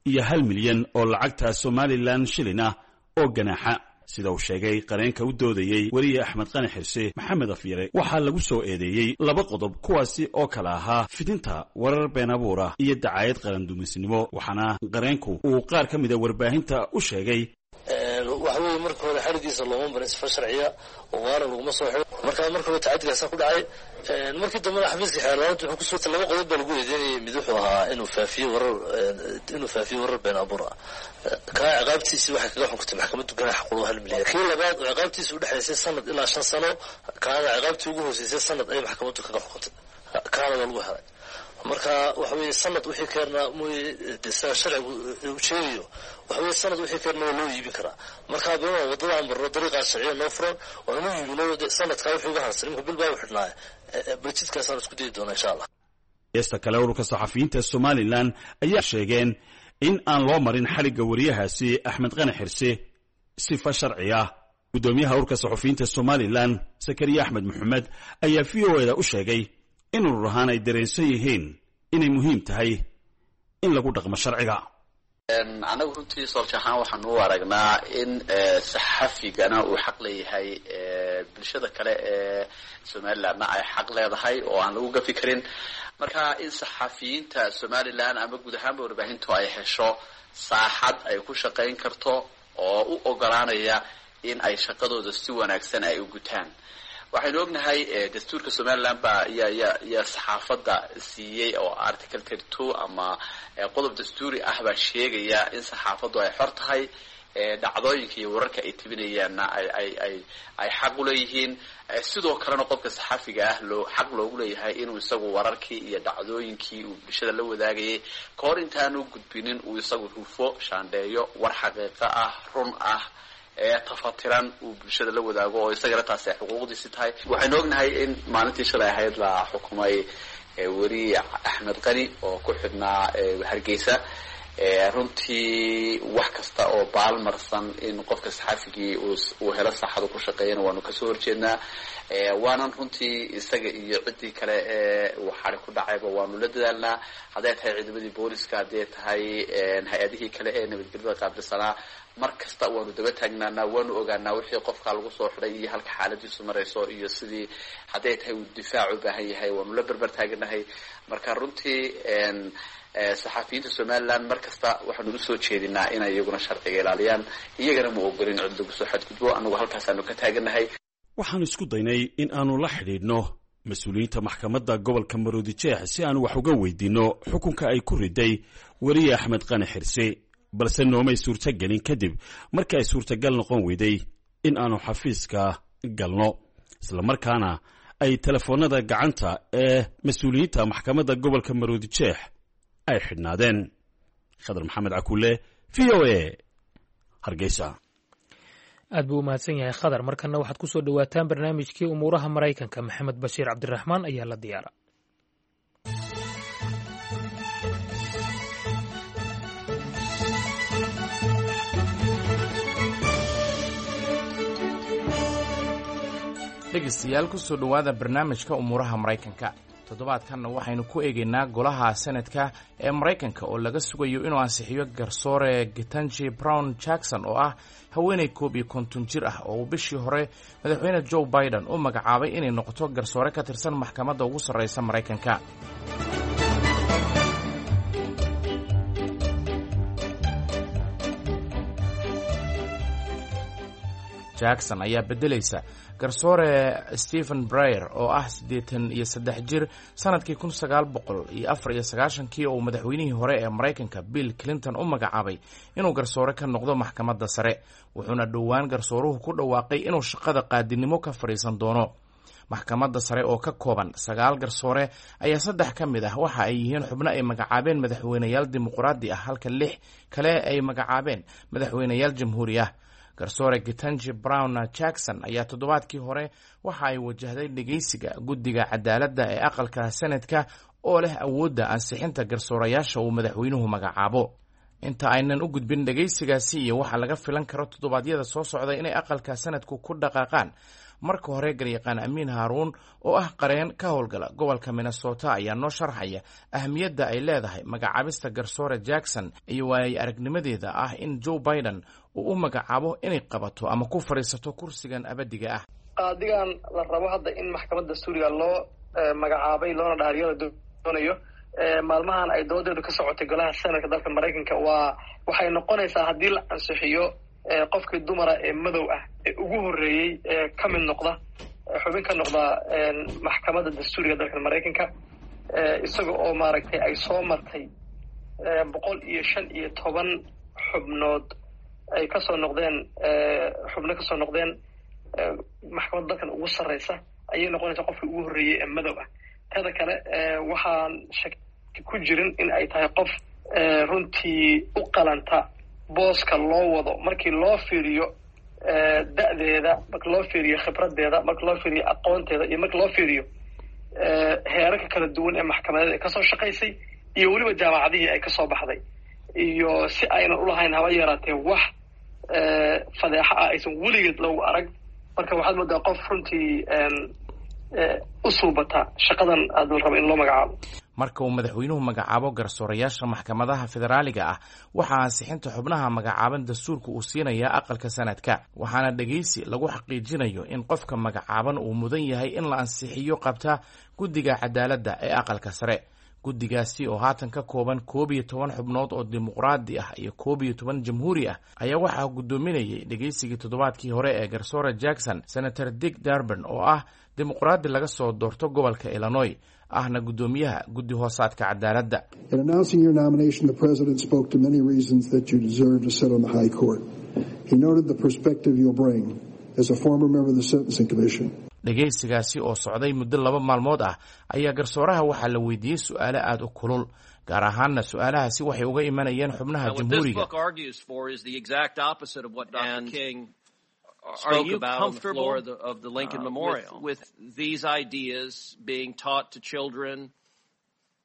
iyo hal milyan oo lacagta Somalilan shilin ah oo ganaaxa, sida uu sheegay qareenka u doodayey weriye Axmed Qani Xirsi, Maxamed Afyare. Waxaa lagu soo eedeeyey laba qodob, kuwaasi oo kale ahaa fidinta warar been abuur ah iyo dacaayad qarandumisnimo, waxaana qareenku uu qaar ka mida warbaahinta u sheegay. Waxaweye marka hore Xarigiisa looma marin sifa sharciya oo waana laguma soo xiro. Marka marka hore tacadigaasa ku dhacay. Markii dambena xafiiska xeerlaanta wuxuu kusoo laba qodob baa lagu eedeynayay. Mid wuxuu ahaa inuu faafiyo warar inuu faafiyo warar been abuur ah. Kaa ciqaabtiisi waxay kaga xukuntay maxkamaddu ganaax quro hal milyan. Kii labaad oo ciqaabtiisi udhexaysay sanad ilaa shan sano, kaana ciqaabtii ugu hooseysay sanad ayay maxkamaddu kaga xukuntay, kaana waa lagu helay. Marka waxa weeye sanad wixii keenaa mooye, sida sharcigu uu sheegayo, waxa weeye sanad wixii keenna waa loo iibin karaa. Marka bima waddada aan marno dariiqaas sharciya noo furan waanu iibino sanadkaa wixii uga harsan. Imika bil baa u xidhnaaya, baljidkaasaan isku dayi doonaa insha Allah. Heesta kale, ururka saxafiyiinta Somalilan ayaa sheegeen in aan loo marin xadhigga wariyahaasi Axmed Qani Xirsi sifa sharci ah. Guddoomiyaha ururka saxufiyiinta Somalilan Sakariya Axmed Maxamed ayaa V O eda u sheegay in urur ahaan ay dareensan yihiin inay muhiim tahay in lagu dhaqmo sharciga. Annagu runtii soolja ahaan waxaanu u aragnaa in saxafigana uu xaq leeyahay, bulshada kale ee Somalilandna ay xaq leedahay oo aan lagu gafi karin. Marka in saxafiyiinta Somaliland ama guud ahaanba warbaahintu ay hesho saaxad ay ku shaqayn karto oo u ogolaanaya in ay shaqadooda si wanaagsan ay u gutaan. Waxaynu ognahay dastuurka Somaliland baa ya ya ya saxaafadda siiyey oo article thirty two ama qodob dastuuri ah baa sheegaya in saxaafaddu ay xor tahay, dhacdooyinka iyo wararka ay tebinayaanna ay ay ay ay xaq uleeyihiin. Sidoo kalena qofka saxafiga ah loo xaq loogu leeyahay inuu isagu wararkii iyo dhacdooyinkii uu bulshada la wadaagayay ka hor intaanu gudbinin uu isagu hufo, shaandheeyo, war xaqiiqo ah, run ah, ee tafatiran uu bulshada la wadaago, oo isagana taasi ay xuquuqdiisi tahay. Waxaynu ognahay in maalintii shalay ahayd la xukumay weri Axmed Qani oo ku xidhnaa Hargeysa. Runtii wax kasta oo baalmarsan in qofka saxafigii uu helo saaxadu ku shaqeeyana waanu kasoo horjeednaa, waanan runtii isaga iyo ciddii kale ee uu xari ku dhacayba waanu la dadaalnaa, hadday tahay ciidamadii booliska, hadday tahay hay-adihii kale ee nabadgelyada qaabilsanaa. Mar kasta waanu daba taagnaanaa, waanu ogaanaa wixii qofkaa lagu soo xidhay iyo halka xaaladiisu marayso iyo sidii hadday tahay uu difaac u baahan yahay waanu la berber taaganahay. Marka runtii saxafiyiinta Somaliland mar kasta waxaanu usoo jeedinaa inay iyaguna sharciga ilaaliyaan, iyagana ma ogolin cid lagu soo xadgudbo. Anagu halkaasaanu ka taaganahay. Waxaanu isku daynay in aanu la xidhiidhno mas-uuliyiinta maxkamadda gobolka Maroodijeex si aanu wax uga weydiinno xukunka ay ku riday weriye Axmed Qani Xirsi, balse noomay suurtogelin kadib markii ay suurtagal noqon weyday in aanu xafiiska galno, islamarkaana ay telefoonnada gacanta ee mas-uuliyiinta maxkamadda gobolka Maroodijeex ay xidhnaadeen. Khadar Maxamed Cakuule, V O A, Hargeysa. Aad buu u mahadsan yahay Khadar. Markanna waxaad ku soo dhowaataan barnaamijkii umuuraha Maraykanka. Maxamed Bashiir Cabdiraxmaan ayaa la diyaara. Dhegaystayaal, kusoo dhowaada barnaamijka umuuraha Maraykanka. Toddobaadkanna waxaynu ku eegaynaa golaha senadka ee Maraykanka oo laga sugayo inuu ansixiyo garsoore Ketanji Brown Jackson, oo ah haweeney koob iyo konton jir ah oo uu bishii hore madaxweyne Joe Biden u magacaabay inay noqoto garsoore ka tirsan maxkamadda ugu sarreysa Maraykanka. Jackson ayaa beddelaysa garsoore Stephen Breyer oo ah siddeetan iyo saddex jir, sanadkii kun sagaal boqol iyo afar iyo sagaashankii oo madaxweynihii hore ee Maraykanka Bill Clinton u magacaabay inuu garsoore ka noqdo maxkamadda sare, wuxuuna dhowaan garsooruhu ku dhawaaqay inuu shaqada qaadinimo ka fadhiisan doono. Maxkamadda sare oo ka kooban sagaal garsoore ayaa saddex ka mid ah waxa ay yihiin xubno ay magacaabeen madaxweyneyaal dimuqraadi ah, halka lix kale ay magacaabeen madaxweyneyaal jamhuuri ah. Garsoore Ketanji Brown Jackson ayaa toddobaadkii hore waxa ay wajahday dhegeysiga guddiga cadaaladda ee aqalka senadka oo leh awoodda ansixinta garsoorayaasha uu madaxweynuhu magacaabo. Inta aynan u gudbin dhegeysigaasi iyo waxa laga filan karo toddobaadyada soo socda inay aqalka sanadku ku dhaqaaqaan, marka hore garyaqaan Amiin Haaruun oo ah qareen ka howlgala gobolka Minnesota ayaa noo sharxaya ahamiyadda ay leedahay magacaabista garsoore Jackson iyo waayay aragnimadeeda ah in Joe Biden uu u magacaabo inay qabato ama ku fadhiisato kursigan abadiga ah. Qaadigan la rabo hadda in maxkamadda suuriga loo magacaabay loona dhaariyo la doonayo, maalmahan ay doodeedu ka socotay golaha senadka dalka Maraykanka, waa waxay noqonaysaa haddii la ansixiyo qofkii dumara ee madow ah ee ugu horreeyey ee ka mid noqda, xubin ka noqda maxkamadda dastuuriga dalkan Maraykanka, isaga oo maaragtay ay soo martay boqol iyo shan iyo toban xubnood ay kasoo noqdeen, xubno kasoo noqdeen maxkamadda dalkan ugu sarreysa, ayay noqonaysaa qofkii ugu horreeyey ee madow ah. Teda kale, waxaan shaki ku jirin in ay tahay qof runtii u qalanta booska loo wado, markii loo fiiriyo da'deeda, marka loo fiiriyo khibradeeda, marka loo fiiriyo aqoonteeda, iyo marka loo fiiriyo heerarka kala duwan ee maxkamadeed ay kasoo shaqaysay, iyo weliba jaamacadihii ay kasoo baxday, iyo si aynan ulahayn haba yaraatee wax fadeexo ah aysan weligeed loogu arag. Marka waxaad moodaa qof runtii u suubata shaqadan aada la rabo in loo magacaabo. Marka uu madaxweynuhu magacaabo garsoorayaasha maxkamadaha federaaliga ah, waxaa ansixinta xubnaha magacaaban dastuurka uu siinayaa aqalka sanadka, waxaana dhegeysi lagu xaqiijinayo in qofka magacaaban uu mudan yahay in la ansixiyo qabta guddiga cadaaladda ee aqalka sare. Guddigaasi oo haatan ka kooban koob iyo toban xubnood oo dimuqraadi ah iyo koob iyo toban jamhuuri ah ayaa waxaa guddoominayay dhegeysigii toddobaadkii hore ee garsoore Jackson Senator Dick Darban, oo ah dimuqraadi laga soo doorto gobolka Illinois, ahna guddoomiyaha guddi hoosaadka cadaaladda. In announcing your nomination, the president spoke to many reasons that you deserve to sit on the high court. He noted the perspective you'll bring as a former member of the Sentencing Commission. Dhegaysigaasi oo socday muddo laba maalmood ah ayaa garsooraha waxaa la weydiiyey su-aalo aada u kulul, gaar ahaanna su-aalahaasi waxay uga imanayeen xubnaha jamhuuriga. Are you comfortable of the, of the Lincoln uh, Memorial with, with these ideas being taught to children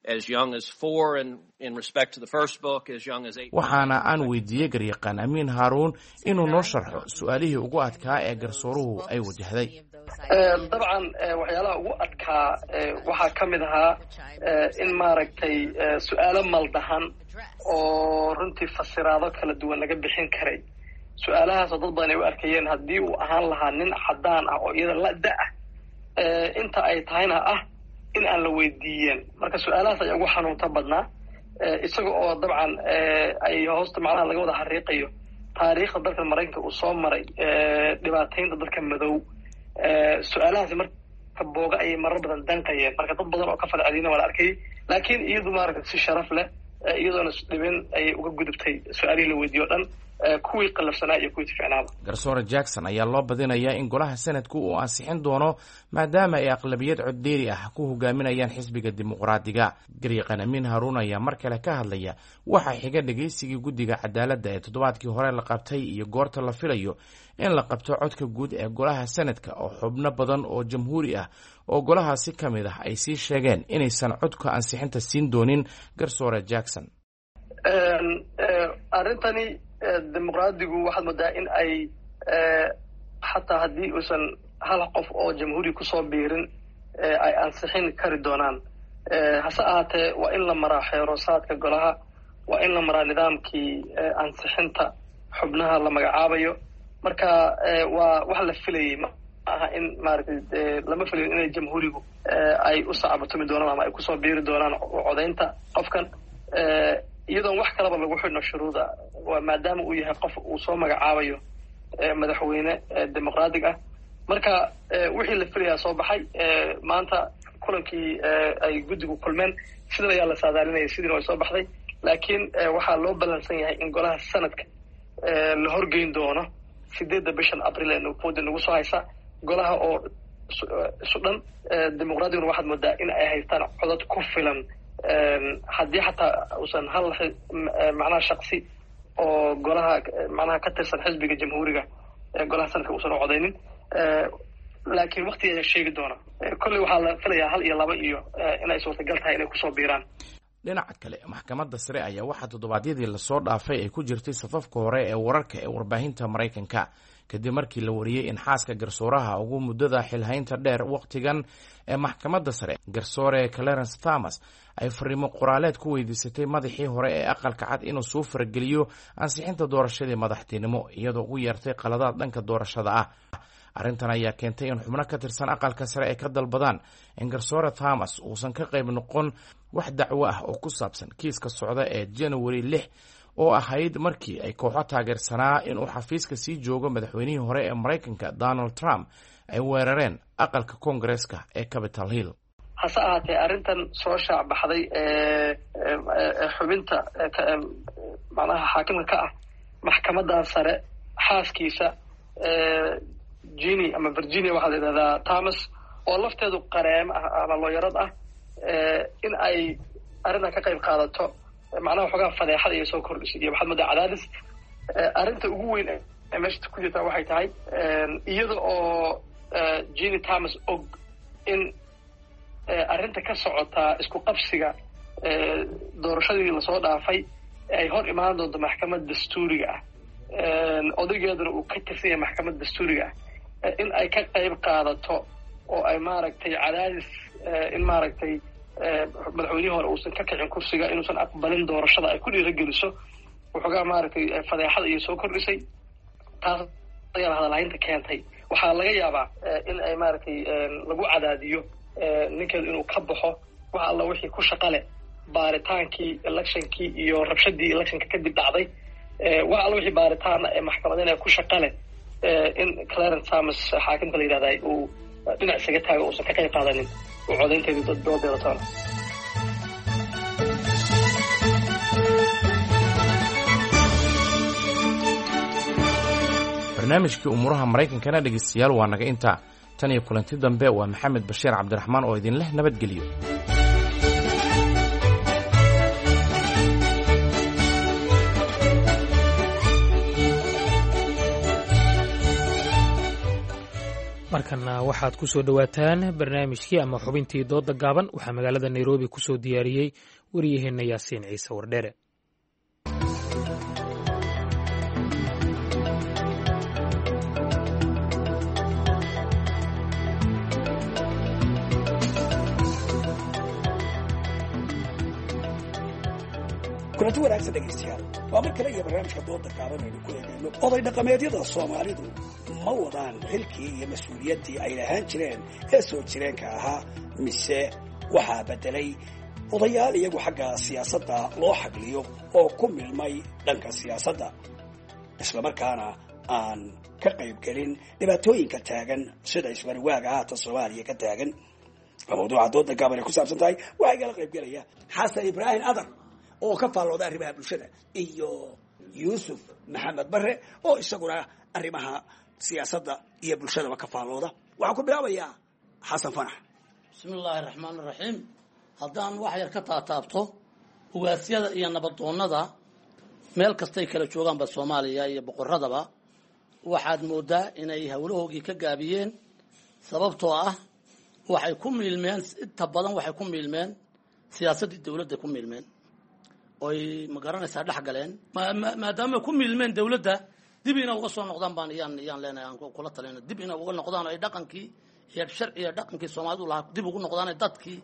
as young as four, and in respect to the first book, as young as eight? Waxaana aan weydiiyey garyaqaan Amiin Haaruun inuu noo sharxo su-aalihii ugu adkaa ee garsooruhu ay wajahday. Dabcan, waxyaalaha ugu adkaa waxaa ka mid ahaa in maaragtay su-aalo maldahan oo runtii fasiraado kala duwan laga bixin karay, su-aalahaasoo dad badan ay u arkayeen haddii uu ahaan lahaa nin caddaan ah oo iyada la da ah inta ay tahayna ah in aan la weydiiyeen. Marka su-aalahaas ayaa ugu xanuunta badnaa, isaga oo dabcan ay hoosta macnaha laga wada xariiqayo taariikhda dalka Maraykanka uu soo maray, dhibaataynta dadka madow. Su-aalahaasi marka booga ayay marar badan danqayeen, marka dad badan oo ka falcelina waa la arkayay, laakiin iyadu maaragta si sharaf leh, iyadoona isdhibin, ayay uga gudubtay su-aalihii la weydiiyo o dhan, kuwii qallafsanaa iyo kuwii ficnaaba. Garsoore Jackson ayaa loo badinayaa in golaha sanadku uu ansixin doono, maadaama ay aqlabiyad coddeeri ah ku hogaaminayaan xisbiga dimuqraadiga. Garyaqaan Amiin Haruun ayaa mar kale ka hadlaya waxaa xiga dhegeysigii guddiga cadaaladda ee toddobaadkii hore la qabtay iyo goorta la filayo in la qabto codka guud ee golaha sanadka, oo xubno badan oo jamhuuri ah oo golahaasi ka mid ah ay sii sheegeen inaysan codka ansixinta siin doonin garsoore Jackson. Arrintani dimuqraadigu waxaad moodaa in ay xataa haddii uusan hal qof oo jamhuuri kusoo biirin ay ansixin kari doonaan. Hase ahaatee, waa in la maraa xeerosaadka golaha, waa in la maraa nidaamkii ansixinta xubnaha la magacaabayo. Marka waa wax la filayay, ma aha in maaragtay lama filayo inay jamhuurigu ay u sacabatumi doonaan ama ay kusoo biiri doonaan codaynta qofkan, iyadoon wax kalaba lagu xidhno shuruuda, waa maadaama uu yahay qof uu soo magacaabayo madaxweyne dimuqraatig ah. Marka wixii la filayaa soo baxay maanta kulankii ay guddigu kulmeen, sidan ayaa la saadaalinaya, sidiina way soo baxday. Laakiin waxaa loo ballansan yahay in golaha sanadka la horgeyn doono sideedda bishan Abril ee fooda nagu soo haysa, golaha oo isu dhan. Dimuqraadiguna waxaad moodaa in ay haystaan codad ku filan, haddii xataa uusan hal macnaha shaksi oo golaha macnaha ka tirsan xisbiga jamhuuriga golaha sanadka uusan u codaynin, laakiin waktigeeda sheegi doona. Kolley waxaa la filayaa hal iyo laba iyo inay suurtagal tahay inay kusoo biiraan. Dhinaca kale, maxkamadda sare ayaa waxaa toddobaadyadii lasoo dhaafay ay ku jirtay safafka hore ee wararka ee warbaahinta Maraykanka, kadib markii la wariyey in xaaska garsooraha ugu muddada xilhaynta dheer wakhtigan ee maxkamadda sare, garsoore Clarence Thomas, ay fariimo qoraaleed ku weydiisatay madaxii hore ee Aqalka Cad inuu soo farageliyo ansixinta doorashadii madaxtinimo, iyadoo ugu yeertay qaladaad dhanka doorashada ah. Arrintan ayaa keentay in xubno ka tirsan Aqalka Sare ay ka dalbadaan in garsoore Thomas uusan ka qayb noqon wax dacwo ah oo ku saabsan kiiska socda ee January lix, oo ahayd markii ay kooxo taageersanaa inuu xafiiska sii joogo madaxweynihii hore ee Maraykanka Donald Trump ay weerareen aqalka Koongareeska ee Capitol Hill. Hase ahaatee, arrintan soo shaac baxday ee xubinta macnaha xaakimka ka ah maxkamadan sare, xaaskiisa Gini ama Virginia waxaa la yidhahdaa Thomas, oo lafteedu qareem ah ama looyarad ah, in ay arrintan ka qayb qaadato, macnaha waxoogaa fadeexada iyo soo kordhisay iyo waxaad moodaa cadaadis. Arrinta ugu weyn ee meesha ku jirtaa waxay tahay, iyada oo Gini Thomas og in arrinta ka socotaa isku qabsiga doorashadii lasoo dhaafay ay hor imaan doonto maxkamad dastuuriga ah, odaygeeduna uu ka tirsan yahay maxkamad dastuuriga ah, in ay ka qayb qaadato oo ay maaragtay cadaadis in maaragtay madaxweynihii hore uusan ka kicin kursiga, inuusan aqbalin doorashada, ay ku dhiirageliso, waxoogaa maaragtay fadeexada iyo soo kordhisay. Taas ayaa hadalhaynta keentay. Waxaa laga yaabaa in ay maaragtay lagu cadaadiyo ninkeedu inuu ka baxo wax alla wixii ku shaqa leh baaritaankii electionkii iyo rabshadii electionka kadib dhacday, wax alla wixii baaritaana ee maxkamadina ku shaqa leh, in Clarence Thomas xaakimka la yidhahday uu dhinac isaga taago, uusan ka qayb qaadanin uu codaynteedu doodeeda toona. Barnaamijkii umuuraha Maraykankana, dhegeystayaal, waa naga intaa. Tan iyo kulanti dambe, waa Maxamed Bashiir Cabdiraxmaan oo idin leh nabadgelyo. Markana waxaad ku soo dhowaataan barnaamijkii ama xubintii dooda gaaban. Waxaa magaalada Nairobi ku soo diyaariyey wariyaheenna Yaasiin Ciise Wardheere. Kulanti wanaagsan, dhegaystayaal. Waa mar kale iyo barnaamijka dooda gaaban aynu ku eegayno oday dhaqameedyada Soomaalidu ma wadaan xilkii iyo mas-uuliyaddii ay lahaan jireen ee soo jireenka ahaa, mise waxaa beddelay odayaal iyagu xagga siyaasadda loo xagliyo oo ku milmay dhanka siyaasadda, islamarkaana aan ka qaybgelin dhibaatooyinka taagan sida ismariwaaga haatan Soomaaliya ka taagan? Waa mawduuca dooda gaaban ay ku saabsan tahay. Waxaa igala qaybgelaya Xasan Ibraahim Adar oo ka faallooda arrimaha bulshada iyo Yuusuf Maxamed Bare oo isaguna arrimaha siyaasadda iyo bulshadaba ka faallooda. Waxaan ku bilaabayaa Xasan Fanax. Bismi illaahi raxmaan iraxiim. Haddaan wax yar ka taataabto ugaasyada iyo nabadoonnada meel kastay kala joogaanba Soomaaliya iyo boqoradaba, waxaad moodaa inay howlahoogii ka gaabiyeen, sababtoo ah waxay ku miilmeen, inta badan waxay ku miilmeen siyaasaddii dowladda ku miilmeen oy ma garanaysaa dhex galeen. Maadaama ku miilmeen dowladda, dib ina uga soo noqdaan baan iyaan iyaan leenahay, aan kula talina dib ina uga noqdaan oo ay dhaqankii iyo sharciga dhaqankii Soomaalidu lahaa dib ugu noqdaan, dadkii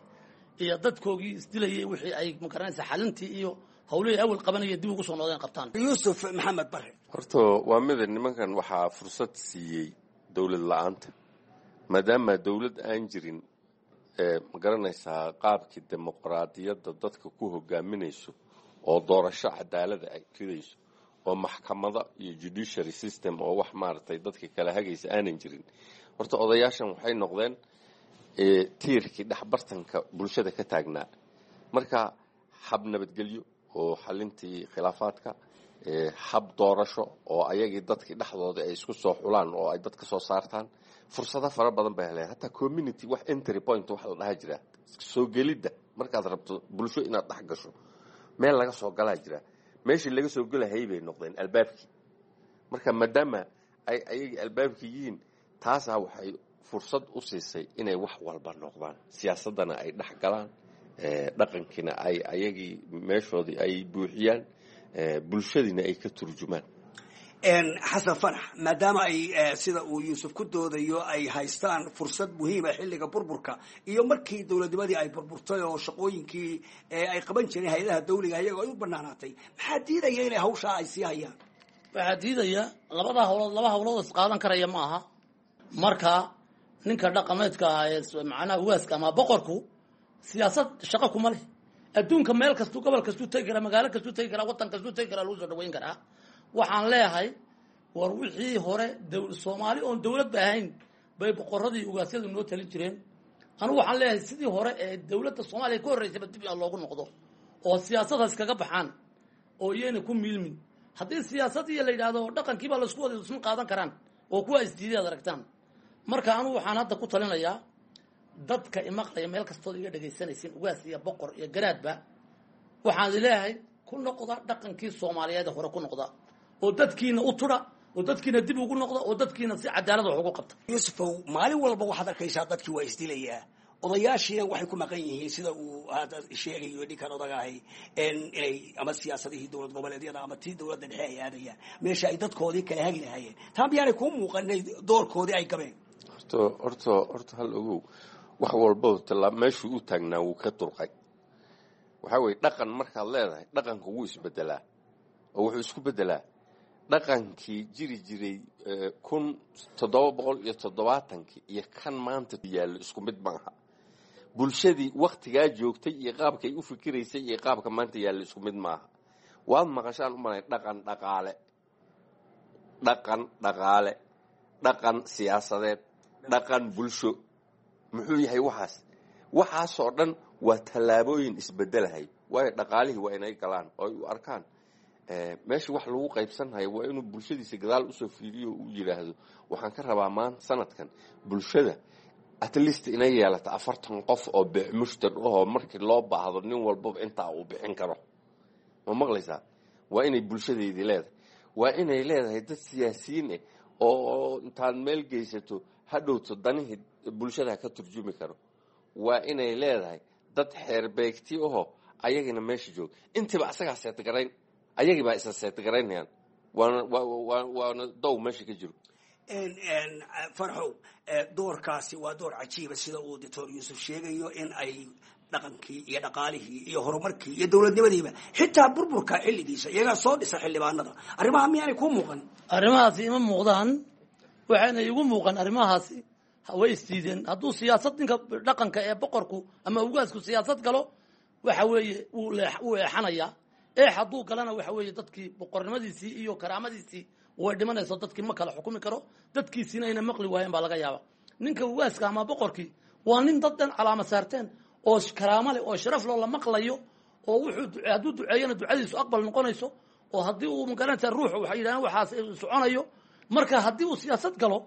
iyo dadkoogii isdilayay wixii ay ma garanaysaa xalintii iyo hawlihii awal qabanayay dib ugu soo noqdeen qabtaan. Yuusuf Maxamed Bare. Horta waa mida nimankan waxaa fursad siiyey dowlad la-aanta, maadaama dowlad aan jirin ee ma garanaysaa qaabkii dimuqraadiyadda dadka ku hogaaminayso oo doorasho cadaalada ay ridayso oo maxkamada iyo judiciary system oo wax maaragtay dadka kala hagaysa aanan jirin. Horta odayaashan waxay noqdeen tiirkii dhexbartanka bulshada ka taagnaa. Marka hab nabadgelyo oo xalintii khilaafaadka, hab doorasho oo ayagii dadkii dhexdooda ay isku soo xulaan oo ay dadka soo saartaan, fursado fara badan bay heleen. Hataa community wax entry point wax la dhaha jira, soo gelidda markaad rabto bulsho inaad dhex gasho meel laga soo galaa jira, meeshii laga soo gelahayay bay noqdeen albaabkii. Marka maadaama ay ayagii albaabkii yihiin, taasaa waxay fursad u siisay inay wax walba noqdaan, siyaasaddana ay dhex galaan, dhaqankiina ay ayagii meeshoodii ay buuxiyaan, bulshadiina ay ka turjumaan. Xasan Fanax, maadaama ay sida uu Yuusuf ku doodayo ay haystaan fursad muhiima xilliga burburka iyo markii dowladnimadii ay burburtay oo shaqooyinkii ay qaban jireen hay-adaha dawliga iyagoo ay u banaanaatay, maxaa diidaya inay hawshaa ay sii hayaan? Waxaa diidaya labada hawlood, laba hawlood is qaadan karaya ma aha. Marka ninka dhaqameedka ah ee macnaha ugaaska ama boqorku siyaasad shaqo kuma leh. Adduunka meel kastuu, gobol kastuu tegi karaa, magaalo kastuu tegi karaa, waddan kastuu tegi karaa, lagu soo dhaweyn karaa. Waxaan leeyahay, war wixii hore Soomaali oon dowladba ahayn bay boqoradii ugaasyadu noo talin jireen. Anugu waxaan leeyahay, sidii hore ee dowladda Soomaaliya ka horreysayba dib loogu noqdo oo siyaasadaas kaga baxaan oo iyayna ku miilmin. Haddii siyaasad iyo la yidhaahdo dhaqankiibaa laisku wada isma qaadan karaan oo kuwa isdiiday ad aragtaan. Marka anugu waxaan hadda ku talinayaa dadka imaqlaya, meel kastood iga dhegaysanaysin, ugaas iyo boqor iyo garaadba, waxaan leeyahay ku noqda dhaqankii Soomaaliyeed hore, ku noqda oo dadkiina u tudha oo dadkiina dib ugu noqda oo dadkiina si cadaalad wax ugu qabta. Yuusufow, maalin walba waxaad arkaysaa dadkii waa isdilayaa, odayaashiina waxay ku maqan yihiin, sida uu hadda sheegayo ninkan odagahay, inay ama siyaasadihii dowlad goboleedyada ama tii dowladda dhexe ay aadayaan meesha ay dadkoodii kala hagi lahaayeen. Taa miyaanay kuu muuqan inay doorkoodii ay gabeen? Horta horta horta hal ogow, wax walbaba tallaa meeshuu u taagnaa wuu ka durqay. Waxaa weeye, dhaqan markaad leedahay, dhaqanku wuu isbedelaa oo wuxuu isku bedelaa dhaqankii jiri jiray kun toddoba boqol iyo toddobaatankii iyo kan maanta yaallo isku mid maaha. Bulshadii waktigaa joogtay iyo qaabkay u fikiraysay iyo qaabka maanta yaallo isku mid maaha. Waad maqashaan u malay dhaqan dhaqaale, dhaqan dhaqaale, dhaqan siyaasadeed, dhaqan bulsho. Muxuu yahay waxaas? Waxaasoo dhan waa tallaabooyin isbedelahay, waayo dhaqaalihii waa inay galaan oo ay u arkaan meesha wax lagu qaybsanhayo. Waa inuu bulshadiisa gadaal usoo fiiriyo, uu yidhaahdo waxaan ka rabaa maanta sanadkan bulshada at least inay yeelato afartan qof oo beec mushtar ahoo markii loo baahdo nin walbaba intaa uu bixin karo. Ma maqlaysaa? Waa inay bulshadeydii leedahay, waa inay leedahay dad siyaasiyiin eh oo intaad meel geysato hadhowto danihii bulshada ka turjumi karo. Waa inay leedahay dad xeerbeegti ahoo ayagina meesha jooga. Intiiba asagaa seetgarayn, ayagii baa isa seetgaraynayaan, waana waana dow meesha ka jiro. Farxow, doorkaasi waa door cajiiba, sida uu Doctor Yuusuf sheegayo, in ay dhaqankii iyo dhaqaalihii iyo horumarkii iyo dowladnimadiiba, xitaa burburka xilligiisa, iyagaa soo dhisa xildhibaanada. Arrimaha miyaanay kuu muuqan? Arrimahaasi ima muuqdaan. Waxayna igu muuqan, arrimahaasi way isdiideen. Hadduu siyaasad ninka dhaqanka ee boqorku ama ugaasku siyaasad galo, waxa weeye wuu wuu eexanayaa. Eex hadduu galana, waxa weeye dadkii boqornimadiisii iyo karaamadiisii way dhimanayso. Dadkii ma kala xukumi karo, dadkiisiina ayna maqli waayeen baa laga yaaba. Ninka ugaaska ama boqorkii waa nin dad dhan calaama saarteen oo karaamo leh oo sharaf loo la maqlayo, oo wuxuu hadduu duceeyana ducadiisu aqbal noqonayso, oo haddii uu magaranaysa ruux waxay yidhahdeen waxaas soconayo. Marka haddii uu siyaasad galo,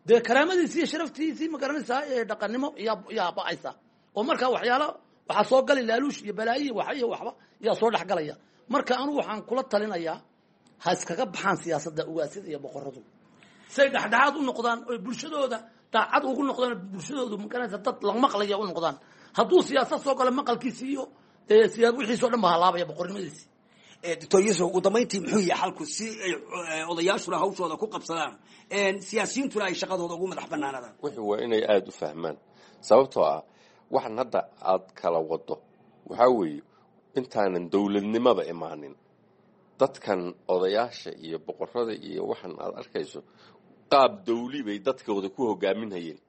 dee karaamadiisii iyo sharaftiisii magaranaysaa ee dhaqannimo yaa yaa ba'aysa, oo marka waxyaala waxaa soo gali laaluush iyo balaayi iyo wax iyo waxba yaa soo dhexgalaya. Marka anugu waxaan kula talinayaa ha iskaga baxaan siyaasadda ugaasyada iyo boqoradu, say dhexdhexaad u noqdaan oy bulshadooda daacad ugu noqdaan, bulshadoodu magaranaysa dad la maqlaya u noqdaan. Hadduu siyaasad soo galo, maqalkiisi iyo siyaa wixiisi o dhan ba halaabaya, boqornimadiisi. Doctor Yuusuf, ugu dambayntii muxuu yahay xalku si ay odayaashuna hawshooda ku qabsadaan, siyaasiyiintuna ay shaqadooda ugu madax banaanadaan? Wixii waa inay aada u fahmaan, sababtoo ah waxan hadda aad kala wado waxaa weeye intaanan dowladnimaba imaanin, dadkan odayaasha iyo boqorada iyo waxan aad arkayso qaab dawli bay dadkooda ku hogaaminhayeen.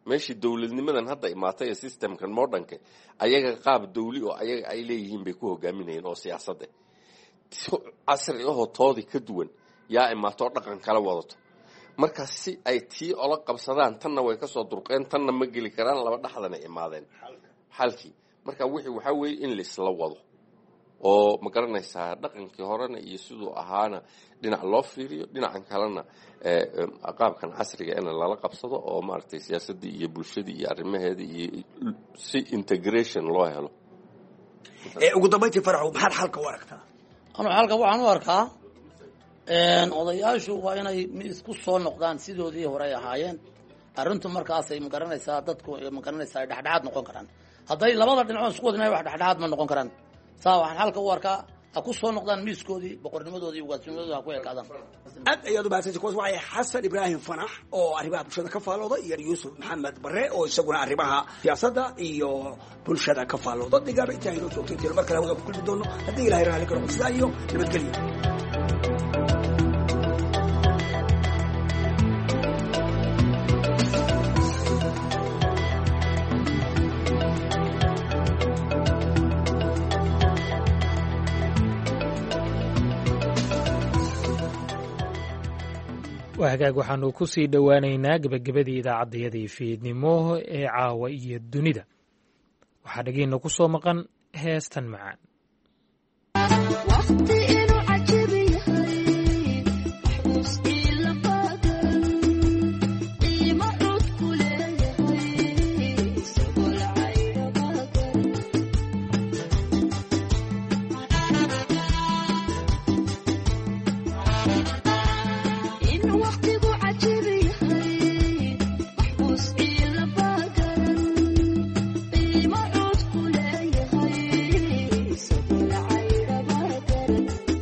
Meeshii dowladnimadan hadda imaatay ee systemkan modernka, ayaga qaab dawli oo ayaga ay leeyihiin bay ku hogaaminayeen oo siyaasadda casri ahoo toodii ka duwan yaa imaatoo dhaqan kala wadato. Marka si ay tii ola qabsadaan, tanna way kasoo durqeen, tanna ma geli karaan, laba dhexdana imaadeen xalkii. Marka wixii waxaa weeye in laisla wado oo ma garanaysaa dhaqankii horena iyo siduu ahaana dhinac loo fiiriyo, dhinacan kalena qaabkan casriga ina lala qabsado oo maaragtay siyaasaddii iyo bulshadii iyo arrimaheedii iyo si integration loo helo. Ugu dambayntii, Faraxow, maxaad xalka u aragtaa? Anu xalka waxaan u arkaa, odayaashu waa inay isku soo noqdaan sidoodii hore ay ahaayeen. Arrintu markaasay magaranaysaa dadku magaranaysaa ay dhexdhexaad noqon karaan. Hadday labada dhinacoon isku wadinay, wax dhexdhexaad ma noqon karaan. Saa waxaan xalka u arkaa, ha ku soo noqdaan miiskoodii, boqornimadoodii, ugaasnimadooda ha ku ekaadaan. Aad ayaad umahadsanti. Kuwaas waxay Xasan Ibraahim Fanax oo arrimaha bulshada ka faallooda iyo Yuusuf Maxamed Bare oo isaguna arrimaha siyaasadda iyo bulshada ka faallooda. Digaaba intaa inoo joogtay tiro mar kale hawada ku kulmi doono haddii Ilahay raalli ka noqo. Sidaa iyo nabadgelyo. Waa hagaag, waxaanu ku sii dhowaanaynaa gebagabadii idaacaddayadii fiidnimo ee caawa iyo dunida. Waxaa dhegeyna ku soo maqan heestan macaan. Thank you.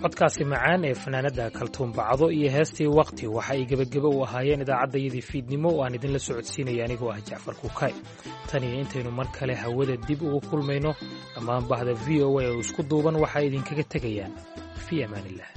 Codkaasi macaan ee fanaanada Kaltuun Bacdo iyo heestii Waqti waxa ay gebagebe u ahaayeen idaacaddayadii fiidnimo oo aan idinla socodsiinaya anigoo ah Jacfar Kuukay. Tan iyo intaynu mar kale hawada dib ugu kulmayno, dhammaan bahda V O A oo isku duuban waxaa idinkaga tegayaan fii amaanillah.